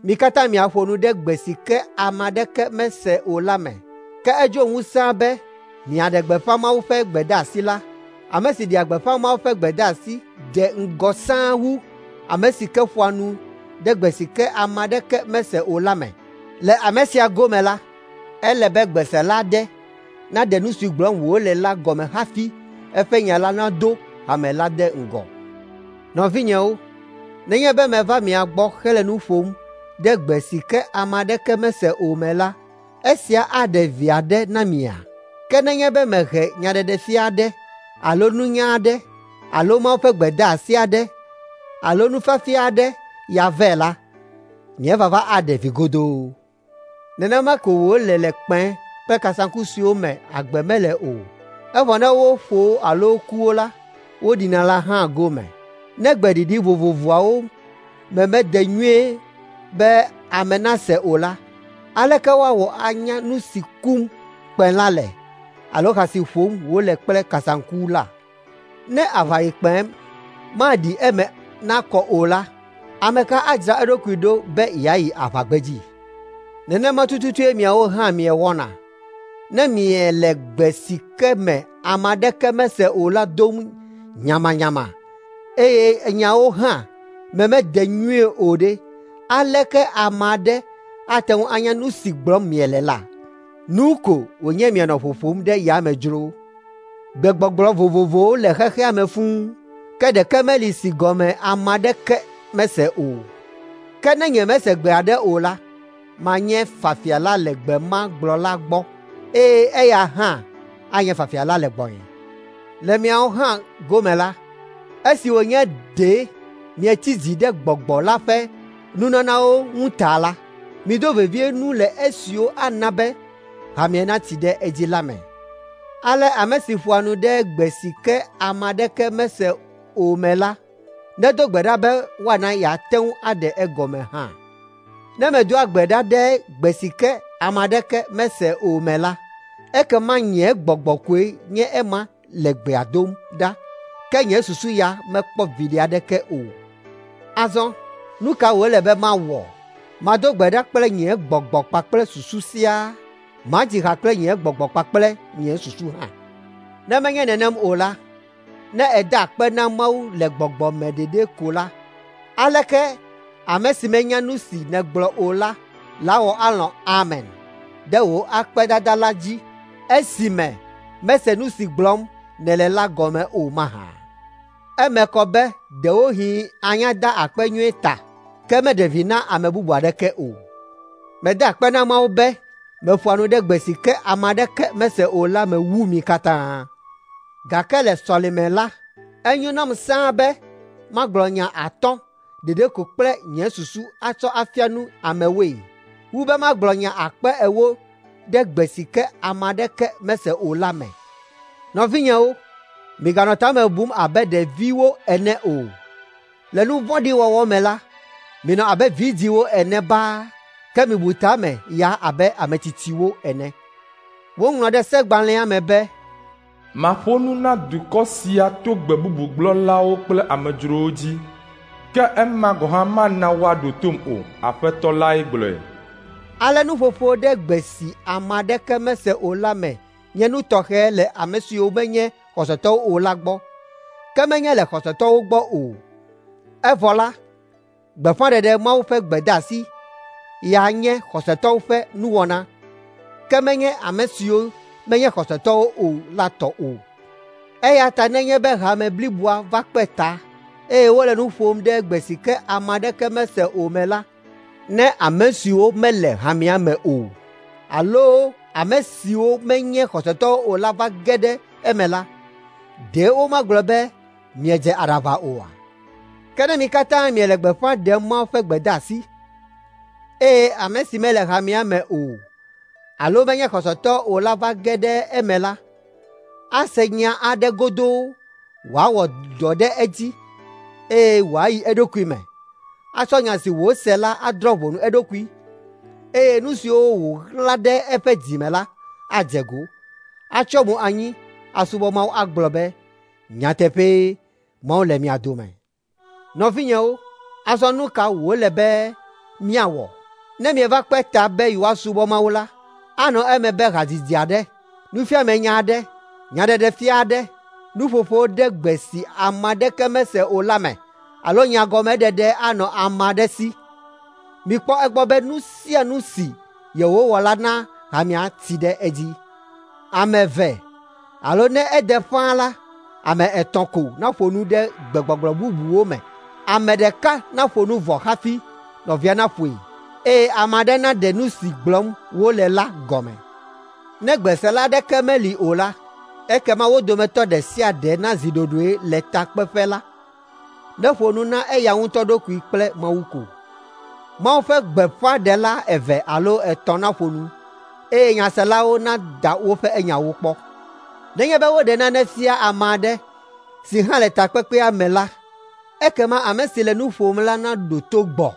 mi katã miaƒo nu ɖe gbe si ke ame aɖeke mese o la me. Ke edzrom wu sãa be miaɖe gbeƒã Mawu ƒe gbedeasi la. Ame si ɖea gbeƒã Mawu ƒe gbedeasi de ŋgɔ sãa wu ame si ke ƒoa nu ɖe gbe si ke ame aɖeke mese o la me. Le ame sia gome la, ele be gbesela aɖe naɖe nu si gblɔm wòle la gɔme hafi eƒe nya la nado hame la ɖe ŋgɔ. Nɔvinyewo, nenye be meva mia gbɔ hele nu ƒom ɖe gbe si ke ame aɖeke mese o me la, esia aɖe vi aɖe na mia? Ke nenye be mehe nyaɖeɖefia aɖe alo nunya aɖe alo Mawu ƒe gbedeasi aɖe alo nufiafia aɖe ya vɛ la, nye vava aɖe vi godoo. Nenema ko wòle le kpẽ kple kasaŋku siwo me agbe mele o, evɔ ne woƒo wo alo ku wo la, woɖina la hã gome. Ne gbeɖiɖi vovovoawo me mede nyuie be ame nase o la, aleke woawɔ anya nu si kum kpẽ la le alo ha si ƒom wole kple kasaŋku la? Ne aʋayikpẽ maɖi eme nakɔ o la, ame ka adzra eɖokui ɖo be yeayi aʋagbedzi? Nenema tututue miawo hã miewɔna. Ne miele gbe si ke me ame aɖeke mese o la dom nyamanyama, eye nyawo hã me mede nyuie o ɖe, aleke ame aɖe ate ŋu anya nu si gblɔm miele la? Nu ko wònye mianɔ ƒoƒom ɖe yame dzro. Gbegbɔgblɔ vovovowo le xexea me fũu, ke ɖeke meli si gɔme ame aɖeke mese o. Ke ne nyemese gbe aɖe o la, manye fafiala le gbe ma gblɔla gbɔ, eye eya hã anye fafiala le gbɔnye. Le miawo hã gome la, esi wònye ɖe mietsi dzi ɖe gbɔgbɔ la ƒe nunanawo ŋu ta la, mido vevie nu le esiwo ana be hamea natsi ɖe edzi la me. Ale ame si ƒoa nu ɖe gbe si ke ame aɖeke mese o me la, nedo gbe ɖa be woana yeate ŋu aɖe egɔme hã. Ne medoa gbe ɖa ɖe gbe si ke ame aɖeke mese o me la, ekema nye gbɔgbɔ koe nye ema le gbea dom ɖa, ke nye susu ya mekpɔ viɖe aɖeke o. Azɔ nu ka wòle be mawɔ? Mado gbe ɖa kple nye gbɔgbɔ kpakple susu siaa, madzi ha kple nye gbɔgbɔ kpakple nye susu hã. Ne menye nenem o la, ne èda akpe na Mawu le gbɔgbɔ me ɖeɖe ko la, aleke ame si menya nu si nègblɔ o la lawɔ alɔ̃ amen ɖe wò akpedada la dzi esime mese nu si gblɔm nèle la gɔme o mahã? Eme kɔ be ɖewohĩ anya da akpe nyuie ta, ke meɖe vi na ame bubu aɖeke o. Meda akpe na Mawu be meƒoa nu ɖe gbe si ke ame aɖeke mese o la me wu mi katã. Gake le sɔleme la, enyo nam sãa be magblɔ nya atɔ̃ ɖeɖe ko kple nye susu atsɔ afia nu amewoe, wu be magblɔ nya akpe ewo ɖe gbe si ke ame aɖeke mese o la me. Nɔvinyewo, miganɔ ta me bum abe ɖeviwo ene o. Le nu vɔ̃ɖi wɔwɔ me la, minɔ abe vidzĩwo ene baa, Ke mibu ta me ya abe ame tsitsiwo ene. Woŋlɔ ɖe segbalẽa me be, Maƒo nu na dukɔ sia to gbe bubu gblɔlawo kple amedzrowo dzi, ke ema gɔ̃ hã mana woaɖo tom o. Aƒetɔ lae gblɔe. Ale nuƒoƒo ɖe gbe si ame aɖeke mese o la me nye nu tɔxɛ le ame siwo menye xɔsetɔwo o la gbɔ, ke menye le xɔsetɔwo gbɔ o. Evɔ la, gbeƒãɖeɖe Mawu ƒe gbedeasi ya nye xɔsetɔwo ƒe nuwɔna, ke menye ame siwo menye xɔsetɔwo o la tɔ o. Eya ta nenye be hame bliboa va kpe ta, eye wole nu ƒom ɖe gbe si ke ame aɖeke mese o me la, ne ame siwo mele hamea me o alo ame siwo menye xɔsetɔwo o la va ge ɖe eme la, ɖe womagblɔ be miedze aɖaʋa oa? Ke ne mi katã miele gbeƒã ɖem Mawu ƒe gbedeasi, eye ame si mele hamea me o alo menye xɔsetɔ o la va ge ɖe eme la, ase nya aɖe godoo wòawɔ dɔ ɖe edzi eye wòayi eɖokui me, atsɔ nya si wòse la adrɔ̃ ʋɔnu eɖokui, eye nu siwo wòɣla ɖe eƒe dzi me la adze go, atsyɔ mo anyi asubɔ Mawu agblɔ be, “Nyateƒee, Mawu le mia dome.” Nɔvinyewo, azɔ nu ka wòle be míawɔ? Ne mieva kpe ta be yewoasubɔ Mawu la, anɔ eme be hadzidzi aɖe, nufiamenya aɖe, nyaɖeɖefia aɖe, nuƒoƒo ɖe gbe si ame aɖeke mese o la me alo nyagɔmeɖeɖe anɔ ame aɖe si. Mikpɔ egbɔ be nu sia nu si yewowɔ la na hamea tsi ɖe edzi. Ame eve alo ne ede ƒãa la, ame etɔ̃ ko naƒo nu ɖe gbegbɔgblɔ bubuwo me. Ame ɖeka naƒo nu vɔ hafi nɔvia naƒoe, eye ame aɖe naɖe nu si gblɔm wole la gɔme. Ne gbesela aɖeke meli o la, ekema wo dometɔ ɖe sia ɖe nazi ɖoɖoe le takpeƒe la, neƒo nu na eya ŋutɔ ɖokui kple Mawu ko. Mawu ƒe gbeƒãɖela eve alo etɔ̃ naƒo nu, eye nyaselawo nada woƒe nyawo kpɔ. Nenye be woɖe nane fia ame aɖe si hã le takpekpea me la, ekema ame si le nu ƒom la naɖo to gbɔ.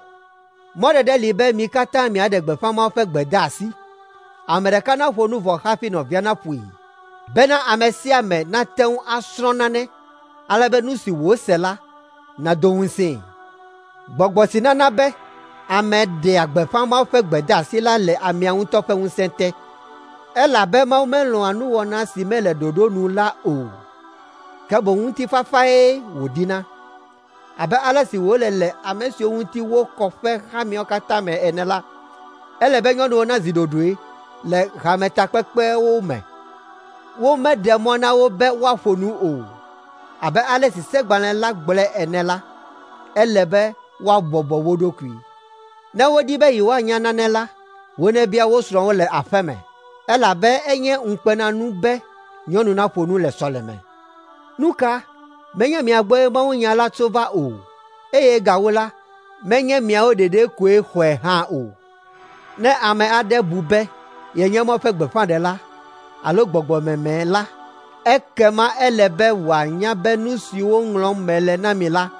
Mɔɖeɖe li be mi katã miaɖe gbeƒã Mawu ƒe gbedeasi. Ame ɖeka naƒo nu vɔ hafi nɔvia naƒoe, bena ame sia ame nate ŋu asrɔ̃ nane, ale be nu si wòse la nado ŋusẽe. Gbɔgbɔ si nana be ame ɖea gbeƒã Mawu ƒe gbedeasi la le amea ŋutɔ ƒe ŋusẽ te, elabe Mawu melɔ̃a nuwɔna si mele ɖoɖo nu la o, ke boŋ ŋutifafae wòdina. Abe ale si wòle le ame siwo ŋuti wokɔ ƒe hameawo katã me ene la, ele be nyɔnuwo nazi ɖoɖoe le hametakpekpewo me. Womeɖe mɔ na wo be woaƒo nu o. Abe ale si segbalẽ la gblɔe ene la, ele be woabɔbɔ wo ɖokui. Ne wodi be yewoanya nane la, wonebia wo srɔ̃wo le aƒe me, elabe enye ŋukpenanu be nyɔnu naƒo nu le sɔleme. Nu ka? Menye mia gbɔe mawunya la tso va o, eye gawu la, menye miawo ɖeɖe koe xɔe hã o. Ne ame aɖe bu be yenye Mawu ƒe gbeƒãɖela alo gbɔgbɔmeme la, ekema ele be wòanya be nu siwo ŋlɔm mele na mi la,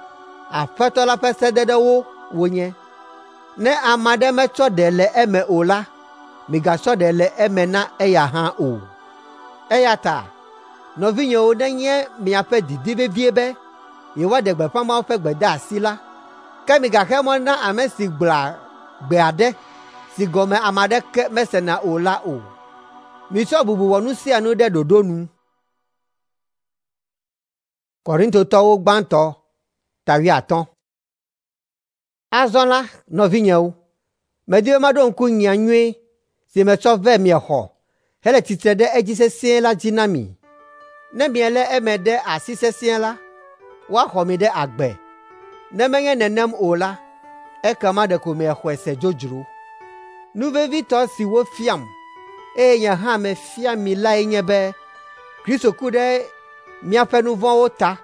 Aƒetɔ la ƒe sededewo wonye. Ne ame aɖe metsɔ ɖe le eme o la, migatsɔ ɖe le eme na eya hã o. Eya ta, nɔvinyewo nenye miaƒe didi vevie be yewoaɖe gbeƒã Mawu ƒe gbedeasi la, ke migaxe mɔ na ame si gblɔa gbe aɖe si gɔme ame aɖeke mesena o la o. Mitsɔ bubu wɔ nu sia nu ɖe ɖoɖo nu. Korintotɔwo gbãtɔ ta wuiatɔ̃. Azɔ la, nɔvinyewo, medi be maɖo ŋku nya nyui si metsɔ vɛ miexɔ hele tsitre ɖe edzi sesĩe la dzi na mi. Ne mielé eme ɖe asi sesĩe la, woaxɔ mi ɖe agbe. Ne menye nenem o la, ekema ɖeko miexɔe se dzodzro. Nu vevitɔ si wofiam, eye nye hã mefia mi lae nye be Kristo ku ɖe míaƒe nu vɔ̃wo ta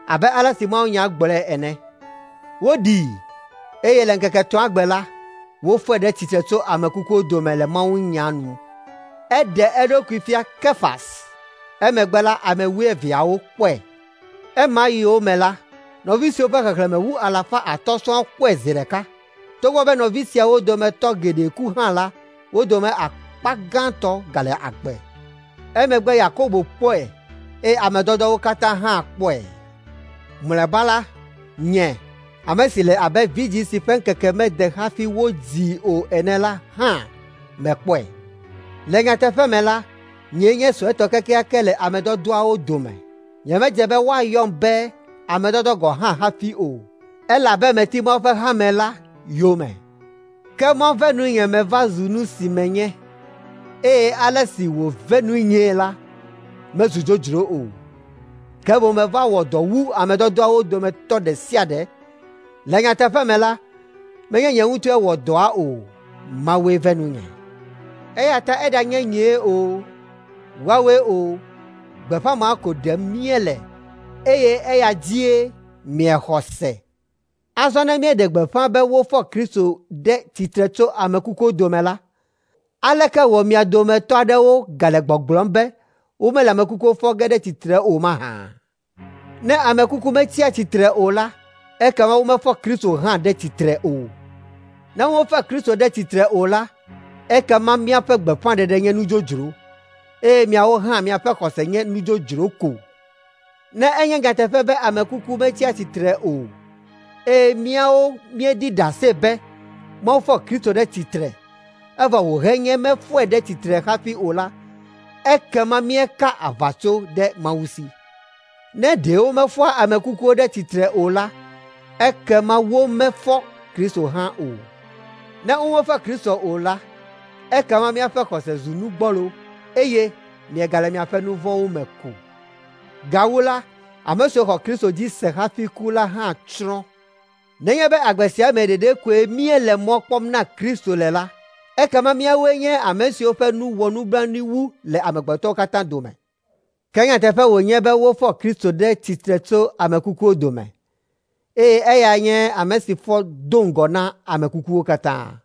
abe ale si mawunya gblɔe ene. Woɖii, eye le ŋkeke etɔ̃a gbe la, wofɔe ɖe tsitre tso ame kukuwo dome le mawunya nu. Eɖe eɖokui fia Kefas. Emegbe la, ame wuieveawo kpɔe. Ema yiwo me la, nɔvi siwo ƒe xexlẽme wu alafa atɔ̃ sɔŋ kpɔe zi ɖeka, Togbɔ be nɔvi siawo dometɔ geɖe ku hã la, wo dome akpa gãtɔ gale agbe. Emegbe Yakobo kpɔe eye ame dɔdɔwo katã hã kpɔe. Mlɔeba la, nye, ame si le abe vidzĩ si ƒe ŋkeke mede hafi wodzii o ene la hã mekpɔe. Le nyateƒe me la, nyee nye suetɔ kekeake le ame dɔdɔawo dome. Nyemedze be woayɔm be ame dɔdɔ gɔ̃ hã hafi o, elabe meti Mawu ƒe hame la yome. Ke Mawu ve nunye meva zu nu si menye, eye ale si wòve nunyee la, mezu dzodzro o. Ke boŋ meva wɔ dɔ wu ame dɔdɔawo dometɔ ɖe sia ɖe. Le nyateƒe me la, menye nye ŋutɔe wɔ dɔa o, Mawue ve nunye. Eya ta eɖanye nyee o, woawoe o, gbeƒã ma ko ɖem míele eye eya dzie miexɔ se. Azɔ ne míeɖe gbeƒã be wofɔ Kristo ɖe tsitre tso ame kukuwo dome la, aleke wɔ mia dometɔ aɖewo gale gbɔgblɔm be womele ame kukuwo fɔ ge ɖe tsitre o mahã? Ne ame kuku metsia tsitre o la, ekema womefɔ Kristo hã ɖe tsitre o. Ne womefɔ Kristo ɖe tsitre o la, ekema míaƒe gbeƒãɖeɖe nye nu dzodzro, eye miawo hã miaƒe xɔse nye nu dzodzro ko. Ne enye nyateƒe be ame kuku metsia tsitre o, eye míawo míeɖi ɖase be Mawu fɔ Kristo ɖe tsitre, evɔ wòhenye mefɔe ɖe tsitre hafi o la, ekema míeka aʋatso ɖe Mawu si. Ne ɖe womefɔa ame kukuwo ɖe tsitre o la, ekema womefɔ Kristo hã o. Ne womefɔ Kristo o la, ekema míaƒe xɔse zu nu gbɔlo eye miegale miaƒe nu vɔ̃wo me ko. Gawu la, ame siwo xɔ Kristo dzi se hafi ku la hã tsrɔ̃. Nenye be agbe sia me ɖeɖe koe míele mɔ kpɔm na Kristo le la, ekema míawoe nye ame siwo ƒe nu wɔ nublanui wu le amegbetɔwo katã dome. Ke nyateƒe wònye be wofɔ Kristo ɖe tsitre tso ame kukuwo dome, eye eya nye ame si fɔ do ŋgɔ na ame kukuwo katã.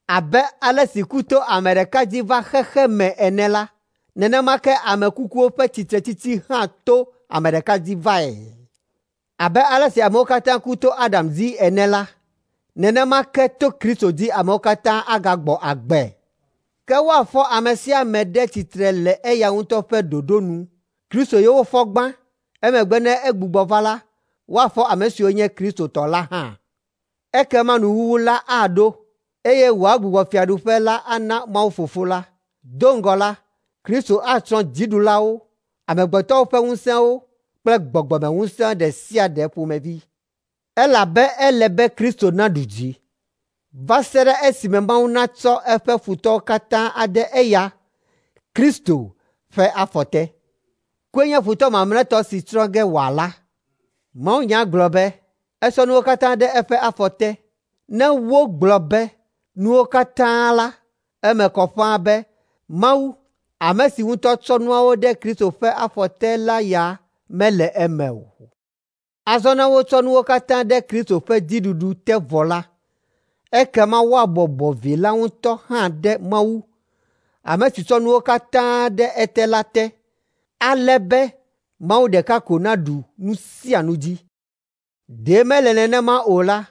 Abe ale si ku to ame ɖeka dzi va xexe me ene la, nenema ke ame kukuwo ƒe tsitretsitsi hã to ame ɖeka dzi vae. Abe ale si amewo katã ku to Adam dzi ene la, nenema ke to Kristo dzi amewo katã agagbɔ agbe. Ke woafɔ ame sia ame ɖe tsitre le eya ŋutɔ ƒe ɖoɖo nu. Kristo ye wofɔ gbã, emegbe ne egbugbɔ va la, woafɔ ame siwo nye Kristo tɔ la hã. Ekema nuwuwu la aɖo, eye wòagbugbɔ fiaɖuƒe la ana Mawu Fofo la. Do ŋgɔ la, Kristo atsrɔ̃ dziɖulawo, amegbetɔwo ƒe ŋusẽwo kple gbɔgbɔmeŋusẽ ɖe sia ɖe ƒomevi. Elabe ele be Kristo naɖu dzi va se ɖe esime Mawu natsɔ eƒe futɔwo katã ade eya, Kristo, ƒe afɔ te. Kue nye futɔ mamlɛtɔ si tsrɔ̃ ge wòala. Mawunya gblɔ be, esɔ nuwo katã ɖe eƒe afɔ te. Ne wogblɔ be nuwo katã la, eme kɔ ƒãa be Mawu, ame si ŋutɔ tsɔ nuawo ɖe Kristo ƒe afɔ te la ya mele eme o. Azɔ ne wotsɔ nuwo katã ɖe Kristo ƒe dziɖuɖu te vɔ la, ekema woabɔbɔ Vi la ŋutɔ hã ɖe Mawu, ame si tsɔ nuwo katã ɖe ete la te, ale be Mawu ɖeka ko naɖu nu sia nu dzi. Ɖe mele nenema o la,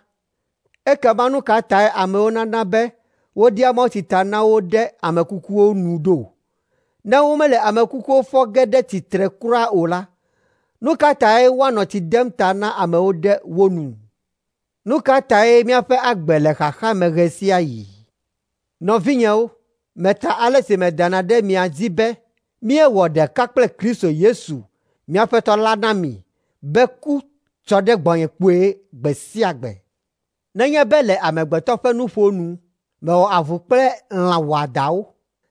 ekema nu ka tae amewo nana be wodea mawutsi ta na wo ɖe ame kukuwo nu ɖo? Ne womele ame kukuwo fɔ ge ɖe tsitre kura o la, nu ka tae woanɔ tsi dem ta na amewo ɖe wo nu? Nu ka tae míaƒe agbe le xaxa me ɣe sia ɣi? Nɔvinyewo, meta ale si medana ɖe mia dzi be míewɔ ɖeka kple Kristo Yesu, mía Aƒetɔ la na mi be ku tsɔ ɖe gbɔnye kpuie gbe sia gbe. Nenye be le amegbetɔ ƒe nuƒo nu, mewɔ avu kple lã wɔadãwo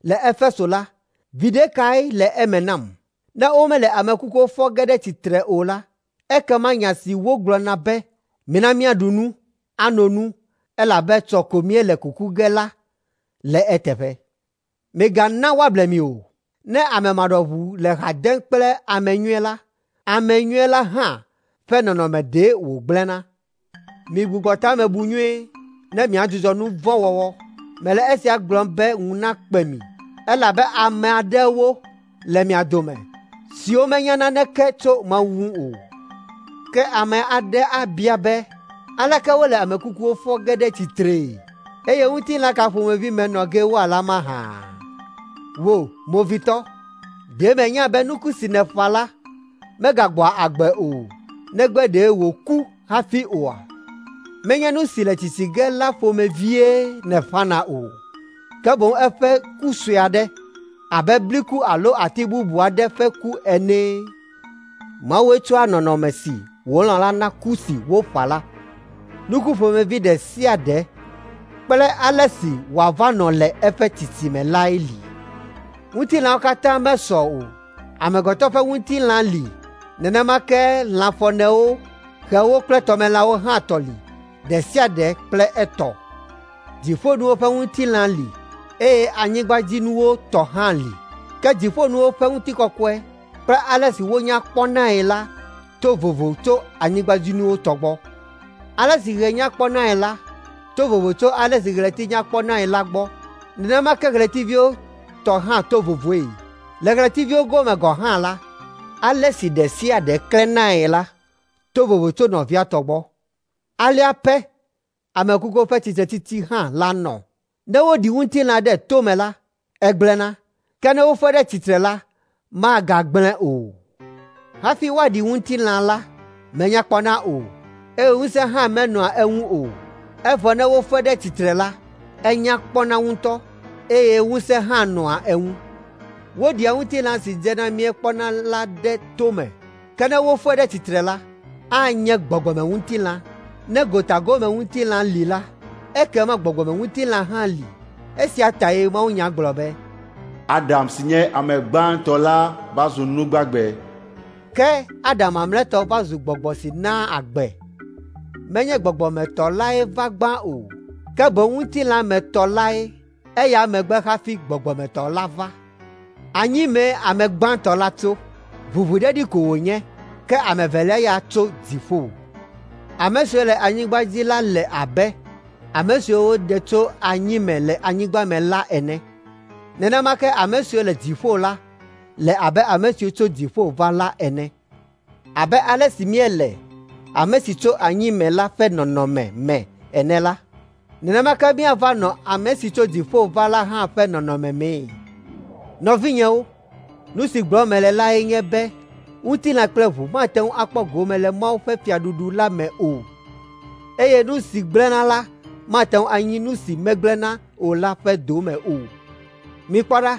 le Efeso la, viɖe kae le eme nam? Ne womele ame kukuwo fɔ ge ɖe tsitre o la, ekema nya si wogblɔna be, “Mina míaɖu nu, ano nu, elabe etsɔ ko míele kuku ge la” le eteƒe. Migana woable mi o. Ne ame maɖɔʋu le ha dem kple ame nyui la, ame nyui la hã ƒe nɔnɔme ɖe wògblẽna. Migbugbɔ ta me bu nyuie ne miadzudzɔ nu vɔ̃ wɔwɔ. Mele esia gblɔm be ŋu nakpe mi, elabe ame aɖewo le mia dome siwo menya naneke tso Mawu ŋu o. Ke ame aɖe abia be, Aleke wole ame kukuwo fɔ ge ɖe tsitree? Eye ŋutilã ka ƒomevi me nɔ ge woala mahã? Wò, movitɔ, ɖe mènya be nuku si nèƒã la megagbɔa agbe o, negbe ɖe wòku hafi oa? Menye nu si le tsitsi ge la ƒomevie nèƒãna o, ke boŋ eƒe ku sue aɖe, abe bliku alo ati bubu aɖe ƒe ku ene. Mawue tsɔa nɔnɔme si wòlɔ̃ la na ku si woƒã la. Nuku ƒomevi ɖe sia ɖe kple ale si wòava nɔ le eƒe tsitsime lae li. Ŋutilãwo katã mesɔ o. Amegbetɔ ƒe ŋutilã li, nenema ke lãfɔnewo, xewo kple tɔmelãwo hã tɔ li, ɖe sia ɖe kple etɔ. Dziƒonuwo ƒe ŋutilã li eye anyigbadzinuwo tɔ hã li. Ke dziƒonuwo ƒe ŋutikɔkɔe kple ale si wonya kpɔnae la to vovo tso anyigbadzinuwo tɔ gbɔ. Ale si ɣe nya kpɔnae la to vovo tso ale si ɣleti nya kpɔnae la gbɔ. Nenema ke ɣletiviwo tɔ hã to vovoe. Le ɣletiviwo gome gɔ̃ hã la, ale si ɖe sia ɖe klẽnae la to vovo tso nɔvia tɔ gbɔ. Alea pɛ ame kukuwo ƒe tsitretsitsi hã la nɔ. Ne woɖi ŋutilã ɖe tome la, egblẽna, ke ne wofɔe ɖe tsitre la, magagblẽ o. Hafi woaɖi ŋutilã la, menya kpɔna o, eye ŋusẽ hã menɔa eŋu o. Evɔ ne wofɔe ɖe tsitre la, enya kpɔna ŋutɔ, eye ŋusẽ hã nɔa eŋu. Woɖia ŋutilã si dzena míekpɔna la ɖe tome, ke ne wofɔe ɖe tsitre la, anye gbɔgbɔmeŋutilã. Ne gotagomeŋutilã li la, ekema gbɔgbɔmeŋutilã hã li. Esia tae mawunya gblɔ be, Adam si nye ame gbãtɔ la va zu nu gbagbe. Ke Adam mamlɛtɔ va zu gbɔgbɔ si naa agbe. Menye gbɔgbɔmetɔ lae va gbã o, ke boŋ ŋutilãmetɔ lae, eya megbe hafi gbɔgbɔmetɔ la va. Anyimee ame gbãtɔ la tso, ʋuʋudedi ko wònye, ke ame evelia ya tso dziƒo. Ame siwo le anyigba dzi la le abe ame siwo woɖe tso anyime le anyigba me la ene. Nenema ke ame siwo le dziƒo la le abe ame siwo tso dziƒo va la ene. Abe ale si míele ame si tso anyime la ƒe nɔnɔme me ene la, nenema ke míava nɔ ame si tso dziƒo va la hã ƒe nɔnɔme mee. Nɔvinyewo, nu si gblɔm mele lae nye be ŋutilã kple ʋu mate ŋu akpɔ gome le Mawu ƒe fiaɖuɖu la me o, eye nu si gblẽna la mate ŋu anyi nu si megblẽna o la ƒe dome o. Mikpɔ ɖa,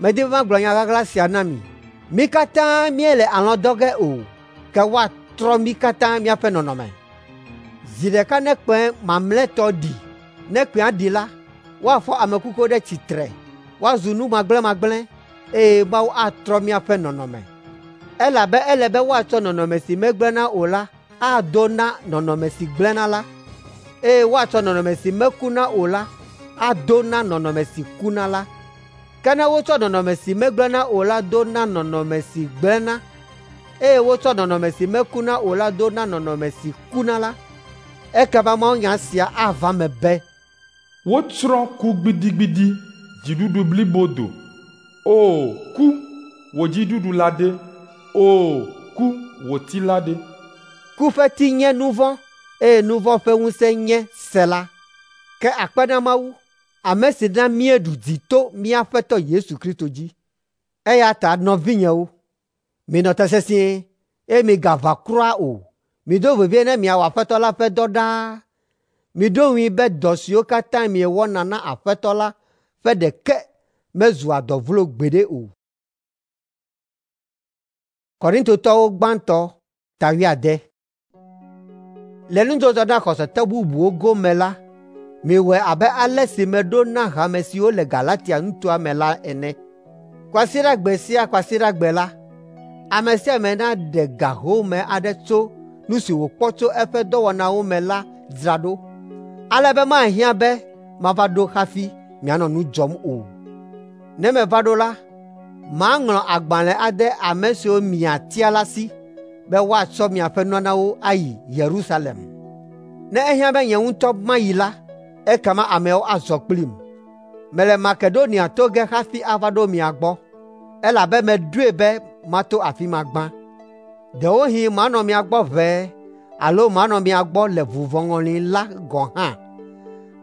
medi be magblɔ nya ɣaɣla sia na mi. Mí katã míele alɔ̃ dɔ ge o, ke woatrɔ mí katã míaƒe nɔnɔme. Zi ɖeka ne kpẽ mamlɛtɔ ɖi, ne kpẽa ɖi la, woafɔ ame kukuwo ɖe tsitre, woazu nu magblẽmagblẽ, eye Mawu atrɔ míaƒe nɔnɔme. Elabe ele be woatsɔ nɔnɔme si megblẽna o la ado na nɔnɔme si gblẽna la, eye woatsɔ nɔnɔme si mekuna o la ado na nɔnɔme si kuna la. Ke ne wotsɔ nɔnɔme si megblẽna o la do na nɔnɔme si gblẽna, eye wotsɔ nɔnɔme si mekuna o la do na nɔnɔme si kuna la, ekema mawunya sia ava eme be, Wotsrɔ̃ ku gbidigbidi, dziɖuɖu blibo do. O ku, wò dziɖuɖu la ɖe? O ku, wò ti la ɖe? Ku ƒe ti nye nu vɔ̃, eye nu vɔ̃ ƒe ŋusẽ nye se la. Ke akpe na Mawu, ame si na míeɖu dzi to mía Aƒetɔ Yesu Kristo dzi. Eya ta nɔvinyewo, minɔ te sesĩe, eye migaʋã kura o. Mido vevie ne miawɔ Aƒetɔ la ƒe dɔ ɖaa. Miɖo ŋui be dɔ siwo katã miewɔna na Aƒetɔ la ƒe ɖeke mezua dɔ vlo gbeɖe o. Korintotɔwo gbãtɔ ta wuiade. Le nudzɔdzɔ na xɔsetɔ bubuwo gome la, miwɔe abe ale si meɖo na hame siwo le Galatia nutoa me la ene. Kwasiɖagbe sia kwasiɖagbe la, ame sia ame naɖe ga home aɖe tso nu si wòkpɔ tso eƒe dɔwɔnawo me la dzra ɖo, ale be mahiã be mava ɖo hafi mianɔ nu dzɔm o. Ne meva ɖo la, maŋlɔ agbalẽ ade ame siwo miatia la si be woatsɔ miaƒe nunanawo ayi Yerusalem. Ne ehiã be nye ŋutɔ mayi la, ekema ameawo azɔ kplim. Mele Makedonia to ge hafi ava ɖo mia gbɔ, elabe meɖoe be mato afi ma gbã. Ɖewohĩ manɔ mia gbɔ ʋɛe alo manɔ mia gbɔ le vuvɔŋɔli la gɔ̃ hã,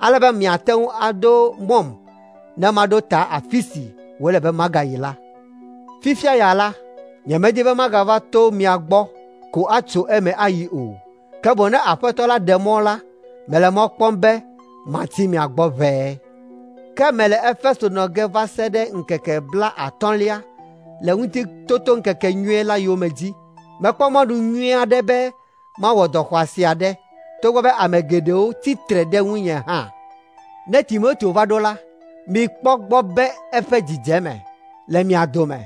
ale be miate ŋu ado mɔm ne maɖo ta afi si wòle be magayi la. Fifia ya la, nyemedi be magava to mia gbɔ ko atso eme ayi o, ke boŋ ne Aƒetɔ la ɖe mɔ la, mele mɔ kpɔm be matsi mia gbɔ ʋɛe. Ke mele Efeso nɔ ge va se ɖe ŋkeke blaatɔ̃lia le Ŋutitotoŋkekenyui la yome dzi. Mekpɔ mɔnu nyui aɖe be mawɔ dɔ xɔasi aɖe, togbɔ be ame geɖewo tsi tre ɖe ŋunye hã. Ne Timoteo va ɖo la, mikpɔ gbɔ be eƒe dzidzeme le mia dome,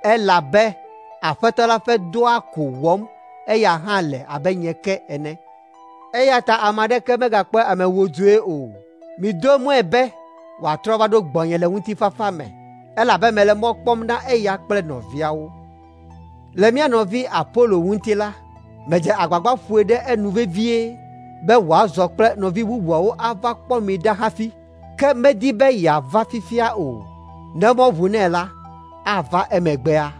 elabe Aƒetɔ la ƒe dɔa ko wɔm eya hã le abe nye ke ene. Eya ta ame aɖeke megakpɔe ame wodzoe o. Mido mɔe be wòatrɔ va ɖo gbɔnye le ŋutifafa me, elabe mele mɔ kpɔm na eya kple nɔviawo. Le mía nɔvi Apolo ŋuti la, medze agbagba ƒoe ɖe enu vevie be wòazɔ kple nɔvi bubuawo ava kpɔ mi ɖa hafi, ke medi be yeava fifia o. Ne mɔ ʋu nɛ la, ava emegbea.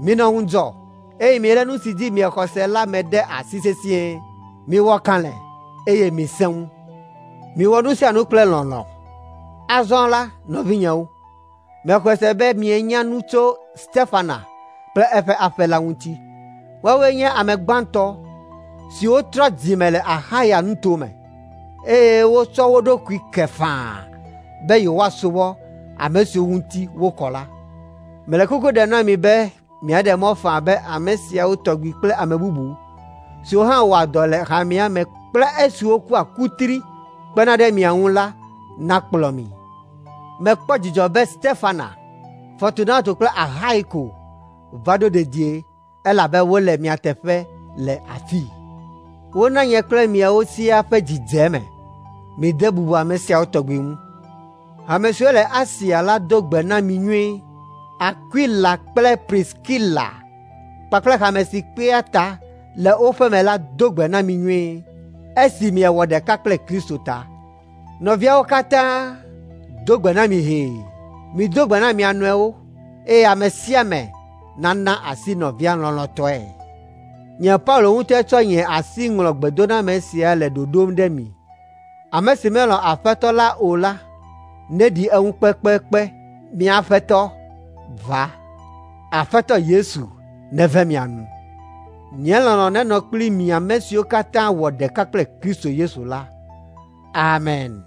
Minɔ ŋudzɔ, eye milé nu si dzi miexɔ se la me ɖe asi sesĩe. Miwɔ kalẽ, eye misẽ ŋu. Miwɔ nu sia nu kple lɔlɔ̃. Azɔ la, nɔvinyewo, mexɔe se be mienya nu tso Stefana kple eƒe aƒe la ŋuti. Woawoe nye ame gbãtɔ siwo trɔ dzime le Axaya nutome, eye wotsɔ wo ɖokui ke faa be yewoasubɔ ame siwo ŋuti wokɔ la. Mele kuku ɖem na mi be miaɖe mɔ faa be ame siawo tɔgbi kple ame bubu siwo hã wɔa dɔ le hamea me kple esiwo kua kutri kpena ɖe mia ŋu la nakplɔ mi. Mekpɔ dzidzɔ be Stefana, Fortunato kple Ahaiko va ɖo dedie elabe wole mia teƒe le afii. Wona nye kple miawo siaa ƒe dzi dze eme. Mide bubu ame siawo tɔgbi ŋu. Hame siwo le Asia la do gbe na mi nyuie. Akwila kple Priskila kpakple hame si kpea ta le wo ƒe me la do gbe na mi nyuie, esi miewɔ ɖeka kple Kristo ta. Nɔviawo katã do gbe na mi hee. Mido gbe na mia nɔewo eye ame sia ame nana asi nɔvia lɔlɔ̃tɔe. Nye Paulo ŋutɔe tsɔ nye asi ŋlɔ gbedoname sia le ɖoɖom ɖe mi. Ame si melɔ̃ Aƒetɔ la o la, neɖi eŋu kpekpekpe. Mía Aƒetɔ, va. Aƒetɔ Yesu neve mia nu. Nye lɔlɔ̃ nenɔ kpli mi ame siwo katã wɔ ɖeka kple Kristo Yesu la. Amen.